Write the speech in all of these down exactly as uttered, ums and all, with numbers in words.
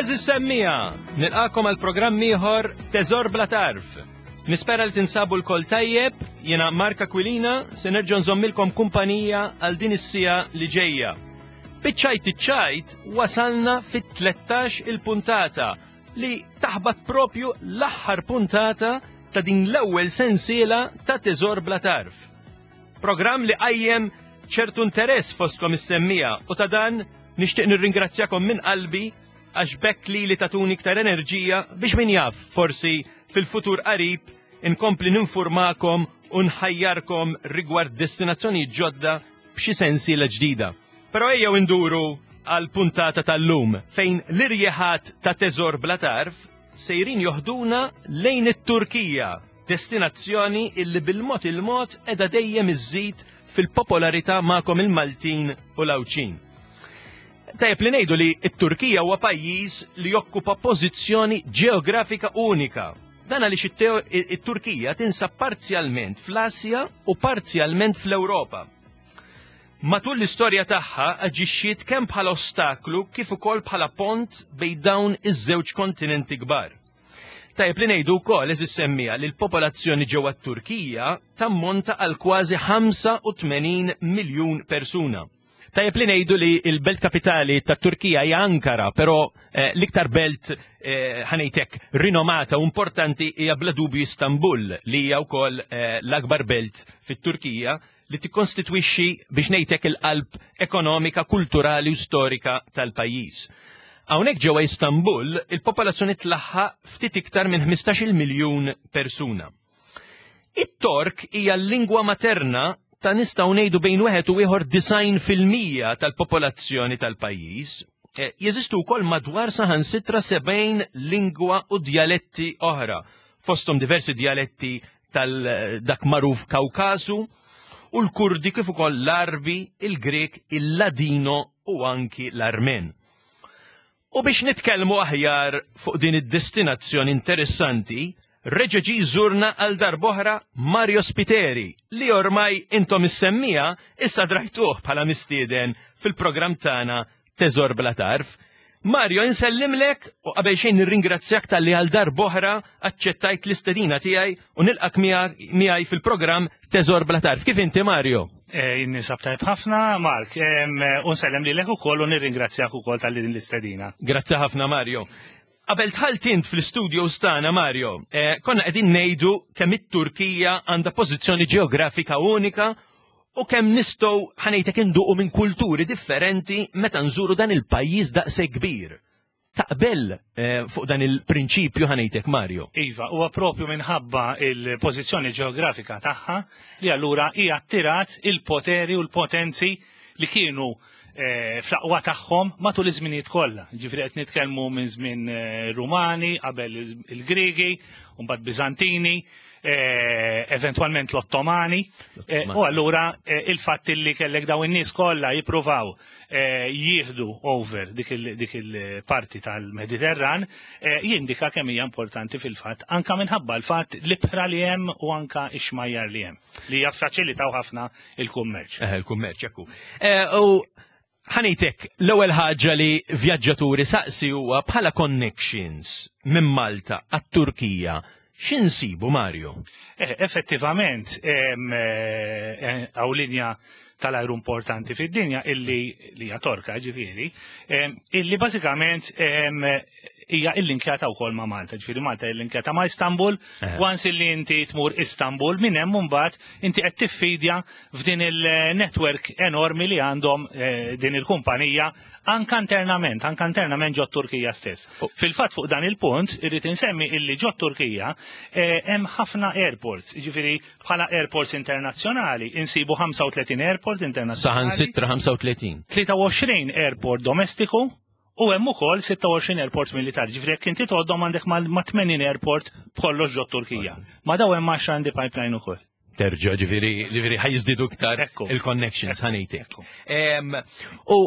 Għeżież semmiegħa, nilqagħkom għal programm ieħor Teżor Bla Tarf. Nispera li tinsabu lkoll tajjeb, jiena Mark Aquilina, se nerġa' nżommilkom kumpanija għal din is-siegħa li ġejja. Biċ-ċajt iċ-ċajt wasalna fit-tlettax il-puntata li taħbat propju l-aħħar puntata ta' din l-ewwel sensiela ta' Teżor Bla Tarf. Programm li qajjem ċertu interess fostkom is-semmiegħa u ta' dan nixtieq nirringrazzjakom minn qalbi għax b'hekk li li tatuni iktar enerġija biex min jaf forsi fil-futur qarib inkompli ninformakom u nħajjarkom rigward destinazzjoni ġodda b'xi sensiela ġdida. Però ejjew induru għal puntata tal-lum fejn l-irjeħat ta' Teżor Bla Tarf sejrin joħduna lejn it-Turkija, destinazzjoni illi bil-mod il-mod qiegħda dejjem iżżid fil-popolarità magħkom il-Maltin u l-Għawdxin. Tajjeb li ngħidu li t-Turkija huwa pajjiż li jokkupa pożizzjoni ġeografika unika. Dan għaliex it-Turkija tinsab parzjalment fl-Asja u parzjalment fl-Ewropa. Matul l-istorja tagħha aġixxiet kemm bħala ostaklu kif ukoll bħala pont bejn dawn iż-żewġ kontinenti kbar. Tajjeb li ngħidu wkoll, għeżież semmiegħa, li l-popolazzjoni ġewwa t-Turkija tammonta għal kważi ħamsa u tmenin miljun persuna. Tajjeb li ngħidu li l-belt kapitali tat-Turkija hija Ankara, però eh, l-iktar belt eh, ħa ngħidlek rinomata u importanti hija bla dubju Istanbul, li hija wkoll eh, l-akbar belt fit-Turkija li tikkonstitwixxi, biex ngħidlek, il-qalb ekonomika, kulturali u storika tal-pajjiż. Hawnhekk ġewwa Istanbul il-popolazzjoni tlaħħaq ftit iktar minn ħmistax-il miljun persuna. It-Tork hija l-lingwa materna ta', nistgħu ngħidu, bejn wieħed u ieħor disgħin fil-mija tal-popolazzjoni tal-pajjiż. Eh, jeżistu wkoll madwar saħansitra sebgħin lingwa u djaletti oħra, fosthom diversi djaletti tal-dak magħruf Kawkasu u l-Kurdi kif ukoll l-Arbi, il-Grek, il-Ladino u anki l-Armen. U biex nitkellmu aħjar fuq din id-destinazzjoni interessanti, reġa' ġie jżurna għal darb'oħra Mario Spiteri, li ormai intom is-semmiegħa issa drajtuh bħala mistieden fil-programm tagħna Teżor Bla Tarf. Mario, insellimlek u qabel xejn nirringrazzjak talli għal darb'oħra aċċettajt l-istedina tiegħi u nilqak miegħi fil-programm Teżor Bla Tarf. Kif inti, Mario? Eh, Ninsab tajb ħafna, Mark, u nsellem lilek ukoll u nirringrazzjak ukoll talli din l-istedina. Grazzi ħafna, Mario. Qabel dħalt int fl-studio tagħna, Mario, eh, konna qegħdin ngħidu kemm it-Turkija għandha pożizzjoni ġeografika unika u kemm nistgħu, ħa ngħidlek, induqu minn kulturi differenti meta nżuru dan il-pajjiż daqshekk kbir. Taqbel eh, fuq dan il-prinċipju, ħa ngħidlek, Mario? Iva, huwa propju minħabba il-pożizzjoni ġeografika tagħha li allura hija attirat il-poteri u l-potenzi li kienu eh, fl-aqwa tagħhom matul iż-żminijiet kollha. Ġifieri qed nitkellmu minn żmien eh, Rumani, qabel il-Griegi, u mbagħad Biżantini, eh, eventwalment l-Ottomani. Eh, u allura eh, il-fatt li kellek daw in-nies kollha jippruvaw eh, jieħdu over dik il- dik il-parti tal-Mediterran eh, jindika kemm hija importanti fil-fatt anka minħabba l-fatt l-ibħra li hemm u anka x-xmajjar li hemm li jaffaċilitaw ħafna il-kummerċ. Eh, il-kummerċ, ekku. Eh, U ħa ngħidlek, l-ewwel ħaġa li vjaġġaturi saqsi huwa bħala connections minn Malta għat-Turkija. X'insibu, Mario? Eh, effettivament, em, eh, hawn linja tal-ajru importanti fid-dinja illi li hija Torka ġifieri, em, illi bażikament em, hija illinkjata wkoll ma' Malta, ġifieri Malta illinkjata ma' Istanbul, Eh. once illi inti tmur Istanbul, minn hemm mbagħad inti qed tiffidja f'din il-network enormi li għandhom eh, din il-kumpanija anka internament, anka internament ġo Turkija stess. Oh. Fil-fatt fuq dan il-punt irrid insemmi illi ġo Turkija eh, hemm ħafna airports, ġifieri bħala airports internazzjonali insibu ħamsa u tletin airport internazzjonali. Saħansitra ħamsa u tletin. tlieta u għoxrin airport domestiku u hemm ukoll sitta u għoxrin airport militari. Ġifieri jekk inti tgħoddhom għandek ma' tmenin airport b'kollox ġo Turkija. Ma' daw hemm għaxra in the pipeline ukoll. Terġa, ġifieri, ġifieri ħa jiżdiedu iktar Ekku. il-connections, ħa ngħidlek. Ekku. Em, U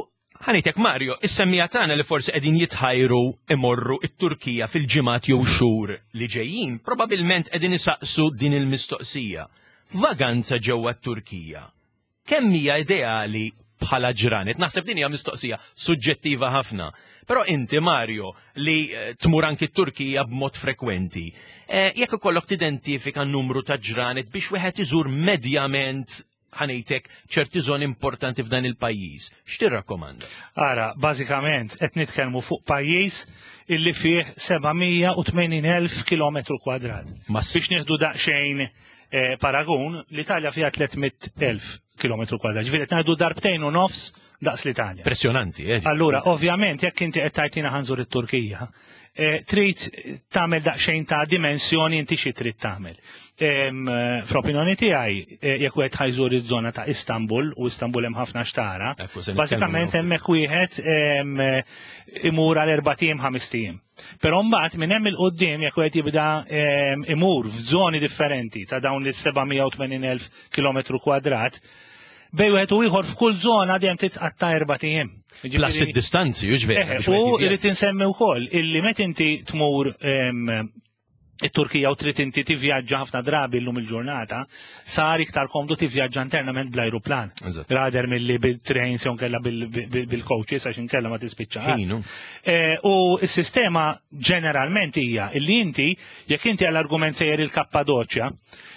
ħa ngħidlek, Mario, is-semmiegħa tagħna li forsi qegħdin jitħajru imorru it-Turkija fil-ġimgħat jew xhur li ġejjin, probabbilment qegħdin isaqsu din il-mistoqsija. Vaganza ġewwa t-Turkija. Kemm hija ideali Bħala ġranet? Naħseb din hija mistoqsija suġġettiva ħafna. Però inti, Mario, li eh, tmur anki t-Turkija b'mod frekwenti, eh, jekk ikollok tidentifika numru ta' ġranet biex wieħed iżur medjament, ħa ngħidlek, ċerti żoni importanti f'dan il-pajjiż, x'tirrakkomanda? Ara, bażikament qed nitkellmu fuq pajjiż illi fih seba' mija u tmenin elf kilometru kwadrat. Mass- Biex nieħdu daqsxejn eh, paragun, l-Italja fiha tliet mitt elf kilometru kwadrat. Ġifieri qed ngħidu darbtejn u nofs daqs l-Italja. Impressjonanti, eh? Allura, ovvjament, jekk inti qed tgħidilna ħa nżur it-Turkija, eh, trid tagħmel daqsxejn ta' dimensjoni inti xi trid tagħmel. Em, eh, Fl-opinjoni tiegħi, eh, jekk wieħed ħa jżur iż-żona ta' Istanbul, u Istanbul hemm ħafna x'tara, Ekku, se nitkellmu bażikament fuq. hemmhekk wieħed em, eh, imur għal erbat ijiem, ħamest ijiem. Però mbagħad minn hemm 'il quddiem, jekk wieħed jibda em, imur f'żoni differenti ta' dawn l-seba' mija u tmenin elf kilometru kwadrat, bejn wieħed u ieħor f'kull żona dejjem titqatta' erbat ijiem. Plus id-distanzi, ġvera. Eh, U irrid insemmi wkoll illi meta inti tmur em, it-Turkija u trid inti tivvjaġġa, ħafna drabi llum il-ġurnata sar iktar komdu tivvjaġġa internament bl-ajruplan. Eżatt. Rather milli bil-trains jew nkella bil-coaches, għax inkella ma tispiċċa. Ħinu. Eh, U s-sistema ġeneralment hija illi inti, jekk inti għall-argument sejjer il-Kappadoċja,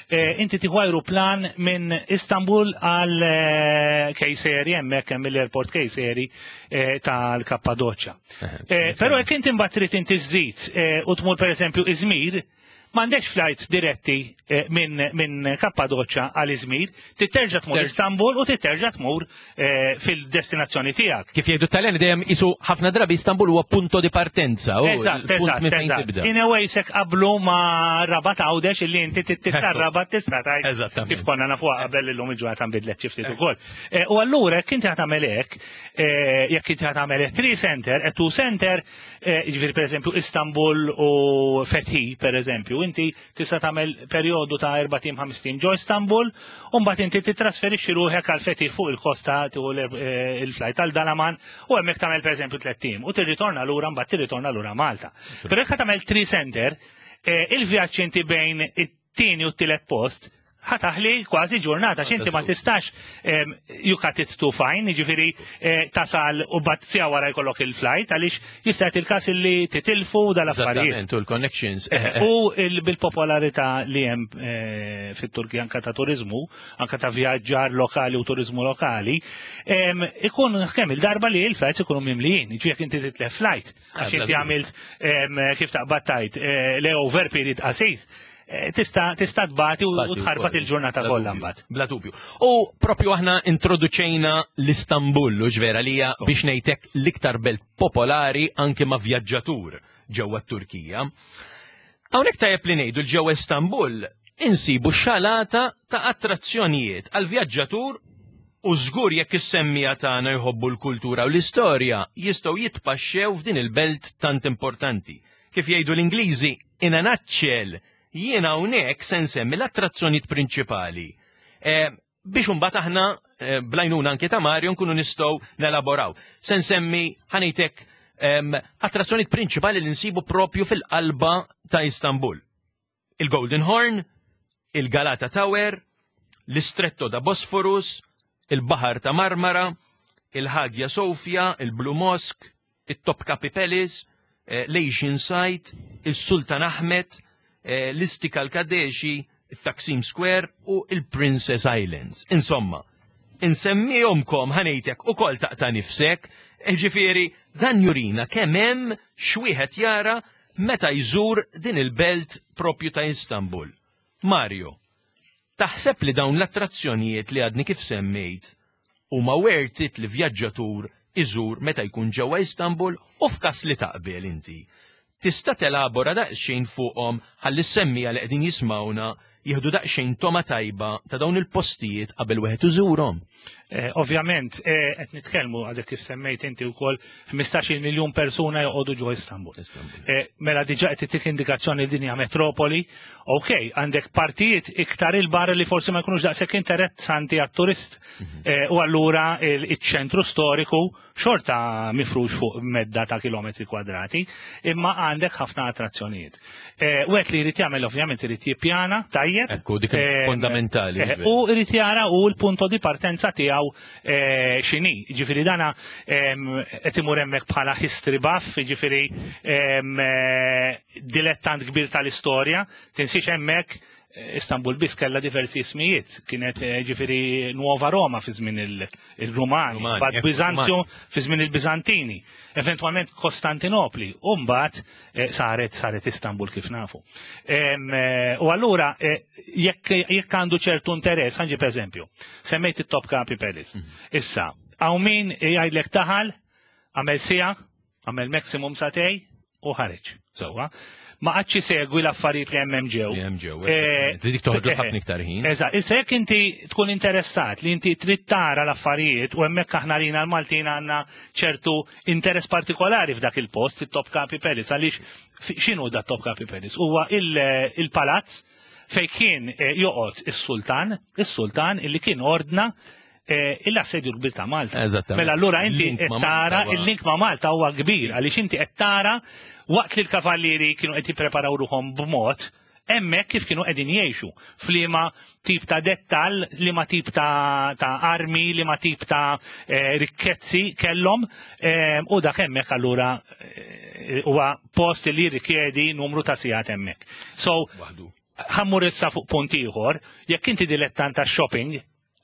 eh, inti tieħu ajruplan minn Istanbul għal eh, Kayseri, hemmhekk hemm l-airport Kayseri eh, tal-Kappadoċja. Eh, Però jekk inti mbagħad trid inti żżid eh, u tmur pereżempju Izmir, m'għandekx flights diretti eh, minn min Kappadoċja għal Izmir, titerġa' tmur Ter- Istanbul u titerġa' tmur eh, fil-destinazzjoni tiegħek. Kif jgħidu Taljani dejjem isu ħafna drabi Istanbul huwa punto di partenza. u Eżatt, il-punt eżatt, minn fejn eżatt. tibda. In a way sek qablu ma Rabat Għawdex illi inti titla' Ekku. Rabat tista' tgħid Eżattament. kif konna nafu qabel, illum il-ġurnata nbidlet xi ftit ukoll. Eh, U allura jekk inti ħa tagħmel hekk, eh, jekk inti ħa tagħmel three center, e two center, eh, jiġifieri pereżempju Istanbul u Fethi pereżempju, inti tista' tagħmel perjodu ta' erbat ijiem, ħamest ijiem ġo Istanbul, u mbagħad inti titrasferixxi ruħek għal Fethi fuq il-kosta, tieħu l- eh, il-flight għal Dalaman u hemmhekk tagħmel pereżempju tliet ijiem u tirritorna lura, mbagħad tirritorna lura Malta. Però jekk tagħmel three center, eh, il-vjaġġ inti bejn it-tieni u t-tielet post ħa taħli kważi ġurnata, x'inti ma tistax em, you cut it too fine, jiġifieri eh, tasal u bat siegħa wara jkollok il-flight, għaliex jista' jagħti il-każ illi titilfu dal-affarijiet. Eżattament, u l-connections. Eh, U il- bil-popolarità li hemm eh, fit-Turkija anka ta' turizmu, anka ta' vjaġġar lokali u turizmu lokali, em, ikun kemm il-darba li il-flights ikunu mimlijin, ġifieri jekk inti titlef flight, għax bla inti dubju. għamilt em, kif taqbad tgħid eh, layover period qasir, eh, tista' tista' tbati u u tħarbat il-ġurnata Bla kollha dubju, mbagħad. Bla dubju. U propju aħna introduċejna l-Istanbul, u ġvera li hija, biex ngħidlek, l-iktar belt popolari anke ma' vjaġġatur ġewwa t-Turkija. Hawnhekk tajjeb li ngħidu l-ġewwa Istanbul insibu xalata ta' attrazzjonijiet għal vjaġġatur u żgur jekk is-semmiegħa tagħna jħobbu l-kultura u l-istorja jistgħu jitpaxxew f'din il-belt tant importanti. Kif jgħidu l-Ingliżi, in a nutshell, jiena hawnhekk se nsemmi l-attrazzjonijiet prinċipali. Eh, biex imbagħad aħna eh, bl-għajnuna anke ta' Mario nkunu nistgħu nelaboraw. Se nsemmi, ħa ngħidlek, em, attrazzjonijiet prinċipali li nsibu propju fil-qalba ta' Istanbul. Il-Golden Horn, il-Galata Tower, l-Istretto da Bosphorus, il-Bahar ta' Marmara, il-Hagia Sofia, il-Blue Mosque, il-Topkapi Palace, eh, l-Asian Site, il-Sultan Ahmed, eh, l-Istiklal Caddesi, il-Taksim Square u il-Princess Islands. Insomma, insemmihomkom, ħa ngħidlek, ukoll taqta' nifsek, eh, ġifieri dan jurina kemm hemm x'wieħed jara meta jżur din il-belt propju ta' Istanbul. Mario, taħseb li dawn l-attrazzjonijiet li għadni kif semmejt huma worth it li vjaġġatur iżur meta jkun ġewwa Istanbul, u f'każ li taqbel inti, tista' telabora daqsxejn fuqhom ħalli s-semmiegħa li qegħdin jismawna jieħdu daqsxejn togħma tajba ta' dawn il-postijiet qabel wieħed iżurhom? Eh, Ovvjament, eh, qed nitkellmu, għadek kif semmejt inti wkoll, ħmistax-il miljun persuna joqogħdu ġo Istanbul. Eh, Mela diġà qed tittik indikazzjoni li din hija metropoli. Ok, għandek partijiet iktar il-barra li forsi ma jkunux daqshekk interessanti għat-turist. Eh, U allura il- iċ-ċentru storiku xorta mifrux fuq medda ta' kilometri kwadrati, imma għandek ħafna attrazzjonijiet. Eh, Wieħed li jrid jagħmel, ovvjament irid jippjana tajjeb. tajjeb. Ekku, dik fondamentali. Eh, u irid jara u l-punto di partenza tiegħu eh, x'inhi. Ġifieri dana qed imur hemmhekk bħala history buff, ġifieri eh, dilettant kbir tal-istorja, tinsiex hemmhekk Istanbul biss kella diversi ismijiet, kienet ġifieri Nuova Roma fi żmien il-Rumani, bad Bizanzio fi żmien il-Bizantini, eventwalment Kostantinopli, u mbagħad saret saret Istanbul kif nafu. U allura jekk għandu ċertu interess, ħa nġib eżempju, semmejt it-Topkapi Palace. Mhm. Issa, hawn min jgħidlek daħal, għamel siegħa, għamel maximum sagħtejn u ħareġ. Sewwa ma qagħadx isegwi l-affarijiet li hemm ġew. Li hemm ġew. Dik toħodlu ħafna iktar ħin. Eżatt, issa jekk inti tkun interessat li inti trid tara l-affarijiet u hemmhekk aħna rina l-Maltin għandna ċertu interess partikolari f'dak il-post, it-Topkapi Palace, għaliex x'inhu da Topkapi Palace? Huwa il-palazz fej kien eh, joqgħod is-sultan, is-sultan illi kien ordna eh, l-assedju kbir ta' Malta. Eżattament. Mela allura inti Link qed ma' tara Malta huwa- il-link ma' Malta huwa kbir għaliex inti qed tara waqt li l-kavallieri kienu qed jippreparaw ruħhom b'mod hemmhekk kif kienu qegħdin jgħixu f'liema tip ta' dettal, liema tip ta', ta' armi, liema tip ta' eh, rikkezzi kellhom eh, u dak hemmhekk allura eh, huwa post li jirrikjedi numru ta' sigħat hemmhekk. So, Waħdu. ħa mmur issa fuq punt ieħor, jekk inti dilettant ta' shopping,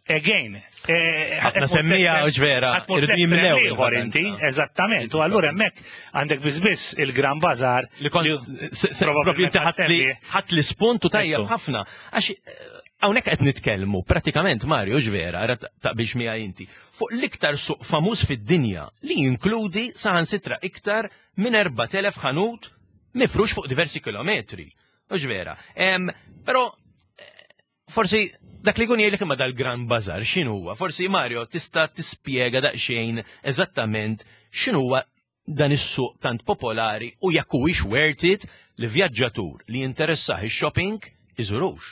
again, eh, Ħafna semmija, u vera, irridu jimlew ieħor inti, il-vakanza. eżattament, u allura hemmhekk għandek biss il-Gran Bazar Li kont se- se- propju inti ħadt li ħadt li spuntu tajjeb Ekku. ħafna. Għax eh, hawnhekk qed nitkellmu pratikament Mario ġvera, ara taqbilx miegħi inti, fuq l-iktar suq famuż fid-dinja li jinkludi saħansitra iktar minn erbat elef ħanut mifrux fuq diversi kilometri. U ġvera. Em, Però eh, forsi dak li kun jgħidlek imma dal-Gran Bazar x'inhu huwa? Forsi Mario tista' tispjega daqsxejn eżattament x'inhuwa dan is-suq tant popolari u jekk huwiex worth it li vjaġġatur li jinteressah ix-shopping iżurux.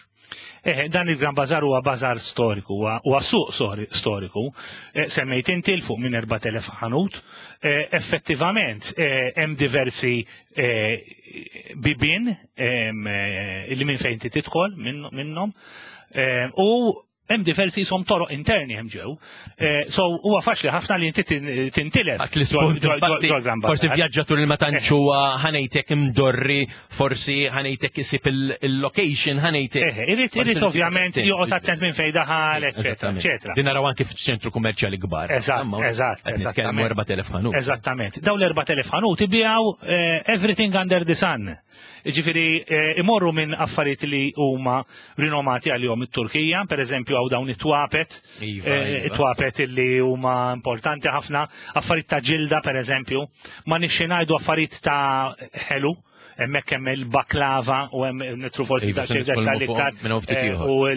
Eh, dan il-Gran Bazar huwa bazar storiku, huwa huwa suq sori- storiku. Eh, semmejt inti 'l fuq minn erbat elef ħanut. Eh, effettivament, eh, hemm diversi eh, bibin em, eh, li minn fejn inti tidħol minn- minnhom. Eh, u hemm diversi jisom toroq interni hemm ġew. Eh, so huwa faċli ħafna li inti tin- tintilef. Għat l-ispunt, ġol- ġol- infatti, ġol Gran forsi Bazar. vjaġġatur li ma tantx huwa ħa ngħidlek imdorri, forsi ħa ngħidlek isib il-location ħa ngħidlek. Eh, Irid irid ovvjament joqgħod attent minn fejn daħal, eċetera, eċetera. Din naraw anke f'ċentru kummerċjali kbar. Eżatt, Imma eżatt, qed nitkellmu eżattament. erbat elef ħanut. Eżattament. Daw l-erbat elef ħanut ibijaw eh, everything under the sun. Ġifieri, eh, imorru minn affarijiet li huma rinomati għalihom it-Turkija, per eżempju hawn dawn it-twapet, Iva, eh, iva. it-twapet li huma importanti ħafna, affarijiet ta' ġilda per eżempju, ma nixxi ngħidu affarijiet ta' ħelu, hemmhekk hemm il-baklava u hemm nitru forsi Iva, ta' se xi nitkellmu dettalji fuq iktar, minn hawn ftit eh, ieħor. u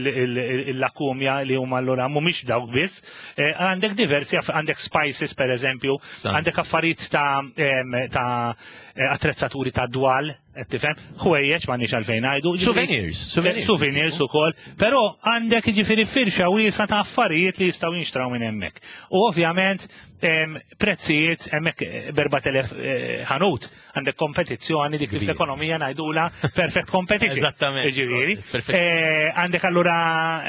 il-lakumja li huma allura mhumiex dawk biss. Eh, Għandek diversi, aff- għandek spices per eżempju, Sans. għandek affarijiet ta' em, ta' eh, attrezzaturi ta' dwal, qed tifhem, ħwejjeġ m'għandniex għalfejn ngħidu. Ġifieri- Souvenirs, souvenirs. Eh, Souvenirs ukoll, però għandek ġifieri firxa wiesa ta' affarijiet li jistgħu jinxtraw minn hemmhekk. U ovvjament em, prezzijiet hemmhekk eh, b'erbat elef eh, ħanut, għandek kompetizzjoni dik li Kbira. fl-ekonomija ngħidula perfect competition. Eżattament. Ġifieri. Perfect. Eh, Għandek allura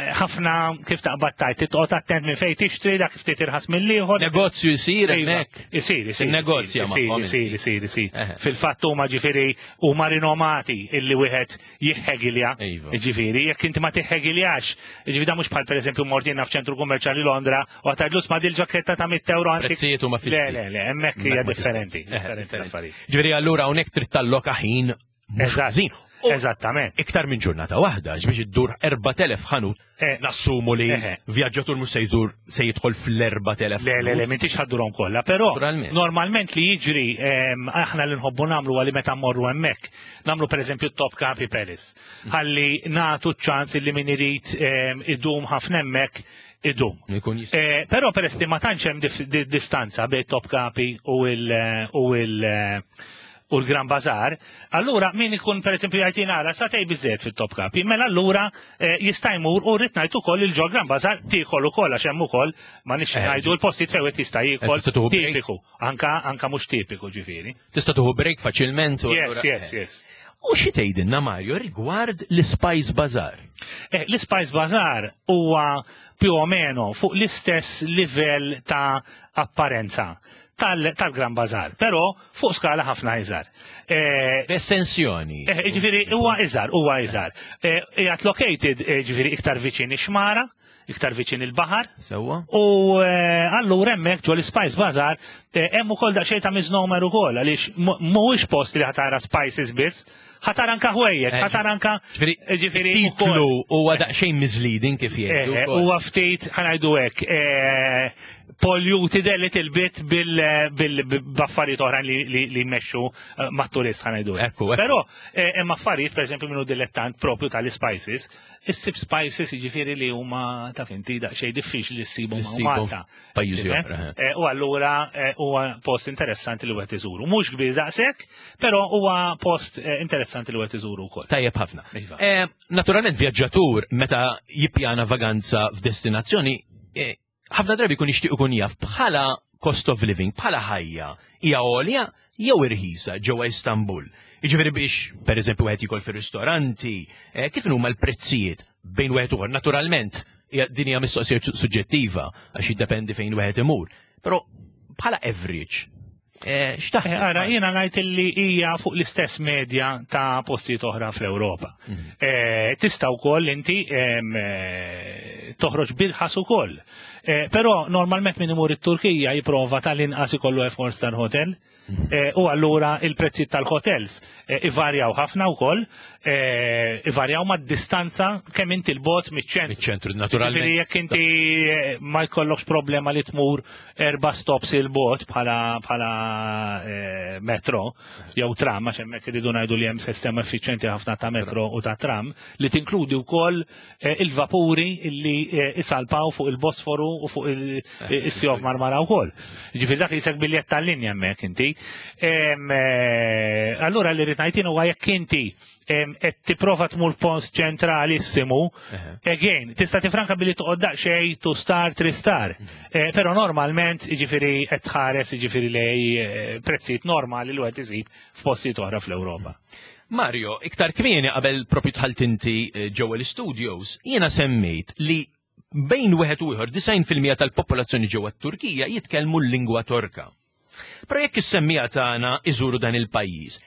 eh, ħafna kif taqbad tajt, titqgħod attent minn fejn tixtri, dak ftit irħas mill-ieħor. Negozju jsir Iva, hemmhekk. Isir, isir. Tinnegozja isir, magħhom Isir, isir, isir. Eħe. Fil-fatt huma ġifieri huma rinomati illi wieħed jiħħegilja. Iva. Ġifieri, jekk inti ma tiħħegiljax, ġifieri da mhux bħal pereżempju mort jiena f'ċentru kummerċjali Londra u għatadlus ma dil-ġaketta ta' mitt euro għantik. Prezzijiet huma fissi. Le, le, le, hemmhekk hija Hemmhekk ma tista'. differenti. Eħe, Differenti differenti. l-affarijiet. Ġifieri allura hawnhekk trid talloka ħin mhux Eżatt. ħażin. U Eżattament. iktar minn ġurnata waħda, biex iddur erbat elef ħanut, Eh. nassumu li Eħe. vjaġġatur mhux se jżur se jidħol fl-erbat elef. Le, le, le, m'intix ħa ddurhom kollha, però Naturalment. normalment li jiġri em, aħna li nħobbu nagħmlu għalli meta mmorru hemmhekk. Nagħmlu pereżempju Topkapi Palace. Ħalli nagħtu ċans li min irid em, idum ħafna hemmhekk idum. Ikun jista' Eh, Però peress li ma tantx hemm dif- di- distanza bejn Topkapi u il u il u l-Gran Bazar, allura min ikun per esempio jgħid nara sagħtejn biżżejjed fit-Topkapi, mela allura eh, jista' jmur u rrid ngħid ukoll il-ġo Gran Bazar tiekol ukoll għax hemm ukoll ma nix Eh, ngħidu l-postijiet fejn wieħed jista' jiekol Tista' tieħu break. tipiku, anka anka mhux tipiku ġifieri. Tista' tieħu break faċilment. u Yes, allura- yes, yes. U xi tgħidilna, Mario, rigward l-Spice Bazaar? Eh, L-Spice Bazaar huwa più o meno fuq l-istess livell ta' apparenza tal- tal-Gran Bazar, però fuq skala ħafna iżgħar. Eh, Estensjoni. eh, Ġifieri huwa iżgħar, huwa iżgħar. Eh, Qiegħed located eh, ġifieri iktar viċin ix-xmara, iktar viċin il-baħar, Sewwa? U eh, allura hemmhekk ġo l-Spice Bazaar eh, hemm ukoll daqsxejn ta' misnomer ukoll għaliex mu- mhuwiex post li ħa tara spices biss, ħa tara anka ħwejjed, Eh, ħa tara anka Ġifieri, ġifieri titlu huwa daqsxejn misleading kif jgħidu. Eh, wkoll. Huwa ftit ħa ngħidu hekk eh, polluted a little bit bil-affarijiet oħra li li li jmexxu eh, mat-turist ħa ngħidu hekk. Ekku, ekku. Però eh, hemm affarijiet pereżempju minnu dilettant propju tal-spices, issib spices jiġifieri li huma ta' finti daqsxejn diffiċli li ssibhom Li hawn ssibhom Malta. f'pajjiżi Tifhem? oħra, eh. Eh, U allura eh, huwa post interessanti li wieħed iżuru. Mhux kbir daqshekk, però huwa post eh, interessanti li wieħed iżuru wkoll. Tajjeb ħafna. Iva. Eh, Naturalment vjaġġatur meta jippjana vaganza f'destinazzjoni, eh, ħafna drabi jkun jixtieq ikun jaf bħala cost of living, bħala ħajja, hija għolja jew irħisa ġewwa Istanbul. Jiġifieri biex, pereżempju, wieħed jikol fir-ristoranti, eh, kif huma l-prezzijiet bejn wieħed u ieħor? Naturalment, hija- din hija mistoqsija suġġettiva għax jiddependi fejn wieħed imur. Però bħala average, eh, x'taħseb? Ara, jiena ngħid li hija fuq l-istess medja ta' postijiet oħra fl-Ewropa. Eh, Tista' wkoll inti em, eh, toħroġ b'irħas ukoll. Eh, Però normalment min imur it-Turkija jipprova tal-inqas ikollu four star hotel. Eh, U allura il-prezzijiet tal-hotels eh, ivarjaw ħafna wkoll, eh, ivarjaw mad-distanza kemm inti 'l bogħod miċ-ċentru. Miċ-ċentru, Ġifieri naturalment. jekk inti eh, ma jkollokx problema li tmur erba stops 'il bogħod bħala bħala eh, metro jew tram, għax hemmhekk iridu ngħidu li hemm sistema effiċjenti ħafna ta' metro u ta' tram li tinkludi wkoll eh, il-vapuri illi eh, isalpaw fuq il-Bosforu u fuq il-Sea of Marmara wkoll. Ġifieri dak jisek biljett tal-linja hemmhekk inti. Em, eh, Allura li rrid ngħid huwa jekk inti em, qed tipprova tmur post ċentralissimu, again, tista' tifranka billi toqgħod daqsxejn two star, three star. Eh, Però normalment, jiġifieri qed tħares jiġifieri lej eh, prezzijiet normali li wieħed isib f'postijiet oħra fl-Ewropa. Mario, iktar kmieni qabel propju dħalt inti eh, ġewwa l-studios, jiena semmejt li bejn wieħed u ieħor disgħin fil-mija tal-popolazzjoni ġewwa t-Turkija jitkellmu l-lingwa Torka. Però jekk is-semmiegħa tagħna iżuru dan il-pajjiż,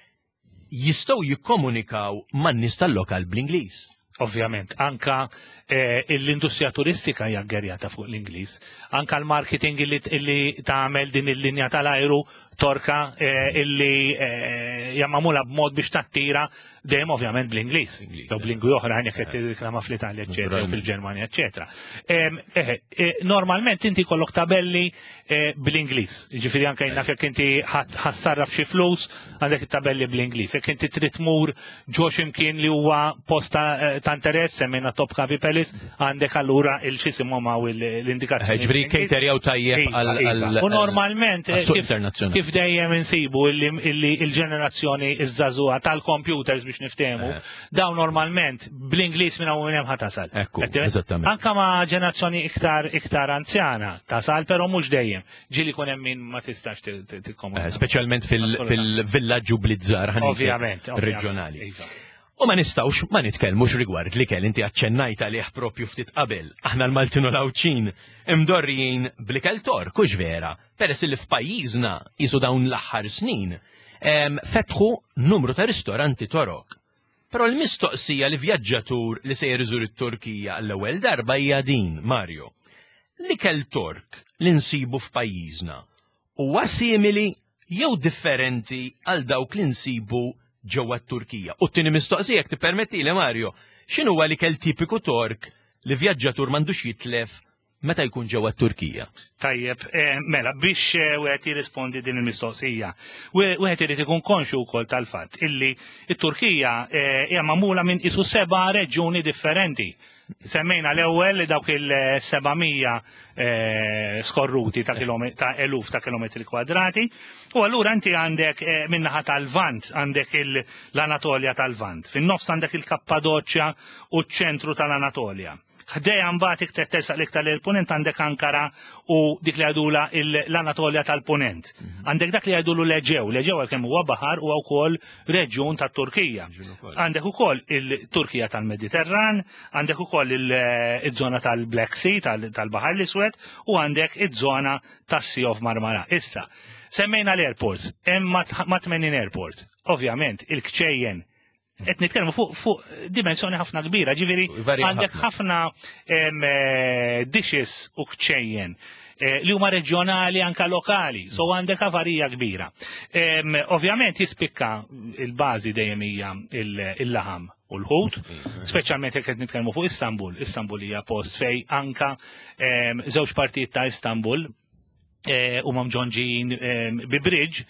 jistgħu jikkomunikaw man-nies tal-lokal bl-Ingliż. Ovvjament, anka eh, l-industrija turistika hija ggerjata fuq l-Ingliż, anka l-marketing illi, illi tagħmel din il-linja tal-ajru Torka eh, illi eh, hija magħmula b'mod biex tattira dejjem ovvjament bl-Ingliż. Ingliż, Jew b'lingwi oħra jekk qed tirriklama fl-Italja, eċetera, jew Naturalment. fil-Ġermanja, eċetera. Em, eh, eh, Normalment inti kollok tabelli eh, bl-Ingliż. Ġifieri anke jien naf jekk inti ħa ssarraf xi flus għandek it-tabelli bl-Ingliż. Jekk inti trid tmur ġo x'imkien li huwa post ta' eh, ta' interess, semmejna Topkapi Palace, għandek allura il-xisimhom hawn l-indikazzjoni. Ġifieri caterjaw tajjeb Iva, għal iva. għal- U normalment eh, għas-suq kif- internazzjonali. kif dejjem insibu illi illi il-ġenerazzjoni iż-żagħżugħa tal-computers biex niftehmu, Eh. dawn normalment bl-Ingliż minn hawn minn hemm ħa tasal. Ekku, Qed tifhem? eżattament. Anka ma' ġenerazzjoni iktar iktar anzjana tasal, però mhux dejjem. Ġieli jkun hemm min ma tistax ti- ti- tikkomunika. Eh, Speċjalment fil- Assolutament. fil-villaġġu blizzar ħa ngħid Ovvjament, ovvjament. reġjonali. Iva. U ma nistgħux ma nitkellmux rigward li kell inti aċċennajt għalih propju ftit qabel. Aħna l-Maltin u l-Għawdxin imdorrijin bl-ikel Tork, hux vera, peress li f'pajjiżna jisu dawn l-aħħar snin em, fetħu numru ta' ristoranti Torok. Però l-mistoqsija li vjaġġatur li se iżur it-Turkija għall-ewwel darba hija din, Mario. L-ikel Tork li nsibu f'pajjiżna huwa simili jew differenti għal dawk li nsibu ġewwa t-Turkija? U t-tieni mistoqsija, jekk tippermettili, Mario, x'inhu huwa l-ikel tipiku Tork li vjaġġatur m'għandux jitlef meta jkun ġewwa t-Turkija? Tajjeb, eh, mela, biex eh, wieħed jirrispondi din il-mistoqsija, wieħed irid ikun konxu wkoll tal-fatt illi it-Turkija eh, hija magħmula minn isu seba' reġjuni differenti. Semmejna l-ewwel dawk il-seba' mija eh, skorruti ta' kilome- ta' eluf ta' kilometri kwadrati. U allura inti għandek eh, min-naħa tal-Vant, għandek il- l-Anatolja tal-Vant. Fin-nofs għandek il-Kappadoċja u ċ-ċentru tal-Anatolja. Ħdejha mbagħad iktar tersaq l-iktar il-punent għandek Ankara u dik li għadula l-Anatolja tal-Punent. Għandek dak li għadulu l-Eġew, l-Eġew għalkemm huwa baħar huwa wkoll reġjun tat-Turkija. Għandek ukoll il-Turkija tal-Mediterran, għandek ukoll il- il-żona tal-Black Sea, tal- tal-Baħar l-Iswed, u għandek iż-żona tas-Sea of Marmara. Issa, semmejna l-airports, hemm ma' tmenin airport. Ovvjament, il-kċejjen qed nitkellmu fuq fuq dimensjoni ħafna kbira, ġifieri Varja għandek ħafna em, eh, dishes u kċejjen eh, li huma reġjonali, anka lokali, so għandek avarija kbira. Em, Ovvjament jispikka il-bażi dejjem hija il- il-laħam u l-ħut, speċjalment jekk qed nitkellmu fuq Istanbul. Istanbul hija post fej anka em, żewġ partijiet ta' Istanbul eh, u mamġonġin eh, bi bridge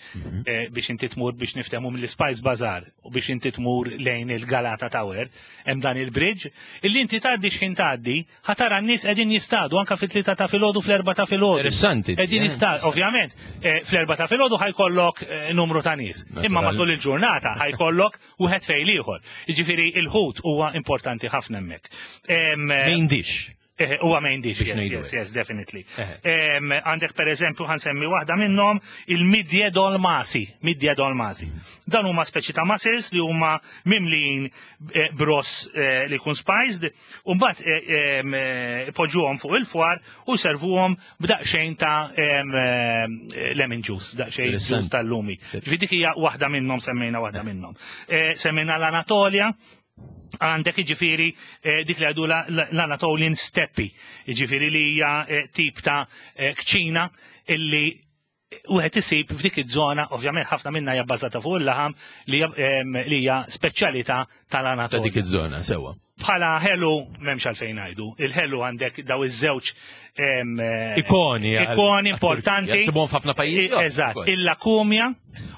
eh, biex inti tmur, biex niftehmu, mill-Spice Bazaar u biex inti tmur lejn il-Galata Tower, hemm dan il-bridge, illi inti tgħaddi x'ħin tgħaddi, ħa tara n-nies qegħdin jistadu anka fit-tlieta ta' filgħodu, fl-erbgħa ta' filgħodu. Interessanti. Qegħdin eh? jistadu, ovvjament, eh, fl-erbgħa ta' filgħodu ħa jkollok eh, numru ta' nies. Imma Natural. matul il-ġurnata ħa jkollok wieħed fejn ieħor. Jiġifieri il-ħut huwa importanti ħafna hemmhekk. Em, eh, Main dish. Eh, Huwa main dish, Biex yes, ngħidu yes, hekk. yes, definitely. Eħe. Em, Għandek per eżempju, ħa nsemmi waħda minnhom, il-midye dolmasi, midye dolmasi. Dan huma speċi ta' mussels li huma mimlin eh, bros eh, li jkun spiced, u mbagħad eh, em, eh, poġġuhom fuq il-fwar u servuhom b'daqsxejn ta' em, eh, lemon juice, daqsxejn Interessanti. juice tal-lumi. Ġifieri dik hija waħda minnhom, semmejna waħda minnhom. Eh, Semmejna l-Anatolja, għandek iġifiri eh, dik li għadu la- la- l-Anatolian Steppe, iġifiri li hija eh, tip ta' eh, kċina illi wieħed isib f'dik iż-żona, ovvjament ħafna minna hija bbażata fuq il-laħam li hija, em, li hija speċjalità Ta' tal-Anatolja. dik iż-żona, sewwa. Bħala ħelu m'hemmx għalfejn ngħidu. Il-ħelu għandek daw iż-żewġ em, eh, Ikoni. għal- ikoni importanti. Nsibhom f'ħafna pajjiżi. Eżatt, il-lakumja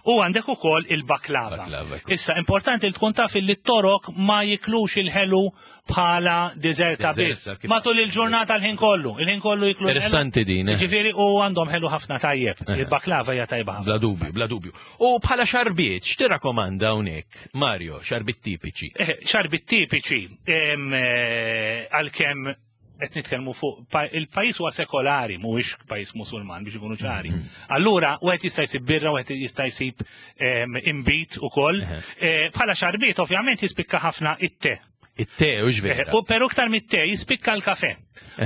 u għandek ukoll il-baklava. Baklava, ekku. Issa, importanti li tkun taf li t-Torok ma jiklux il-ħelu bħala deżerta biss. Deżerta, kif- Matul il-ġurnata l-ħin kollu, il-ħin kollu jiklu l-ħelu. Interessanti din, eh. Ġifieri u għandhom ħelu ħafna tajjeb. Il-baklava hija tajba ħafna. Bla dubju, bla dubju. U bħala xarbiet, x'tirrakkomanda hawnhekk, Mario, xarbiet tipiċi? Eh, Xarbit tipiċi, em, eh, għalkemm qed nitkellmu fuq pa- il-pajjiż huwa sekolari, mhuwiex pajjiż Musulman, biex ikunu ċari. Allura wieħed jista' jsib birra, wieħed jista' jsib em, imbit ukoll. Eħe. Eh, Bħala xarbiet ovvjament jispikka ħafna it-te. It-te, u Eh, vera. U pero iktar mit-te jispikka l-kafe.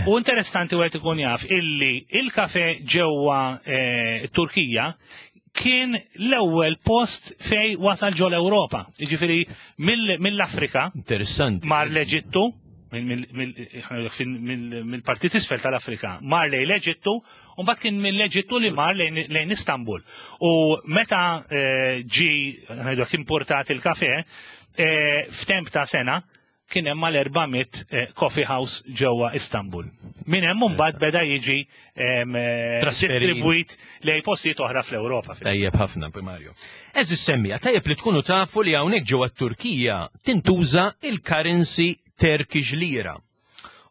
U interessanti wieħed ikun jaf illi il-kafe ġewwa eh, Turkija kien l-ewwel post fej wasal ġo l-Ewropa. Jiġifieri mill- mill-Afrika Interessanti. mar l-Eġittu, mill-partit isfel tal-Afrika, mar lejn l-Eġittu, u mbagħad kien mill-Eġittu li mar lejn lejn Istanbul. U meta eh, ġi ngħidu importat il-kafe, eh, f'temp ta' sena kien hemm mal-erba' mitt eh, coffee house ġewwa Istanbul. Min hemm mbagħad beda jiġi em, eh, Trasferit. distribwit lejn postijiet oħra fl-Ewropa. Tajjeb ħafna, Mario. Eżis semmija, tajjeb li tkunu tafu li hawnhekk ġewwa Turkija tintuża il-currency Turkish lira.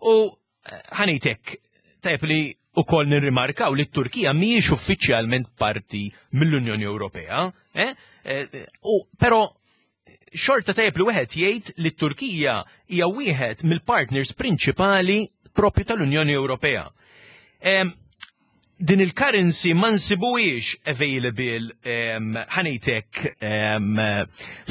U eh, ħa ngħidlek, tajjeb li ukoll nirrimarkaw li t-Turkija mhijiex uffiċjalment parti mill-Unjoni Ewropea, eh? Eh, u però xorta tajjeb li wieħed jgħid li t-Turkija hija wieħed mill-partners prinċipali propju tal-Unjoni Ewropea. Em, din il-currency ma nsibuhiex available um, ħa ngħidlek um,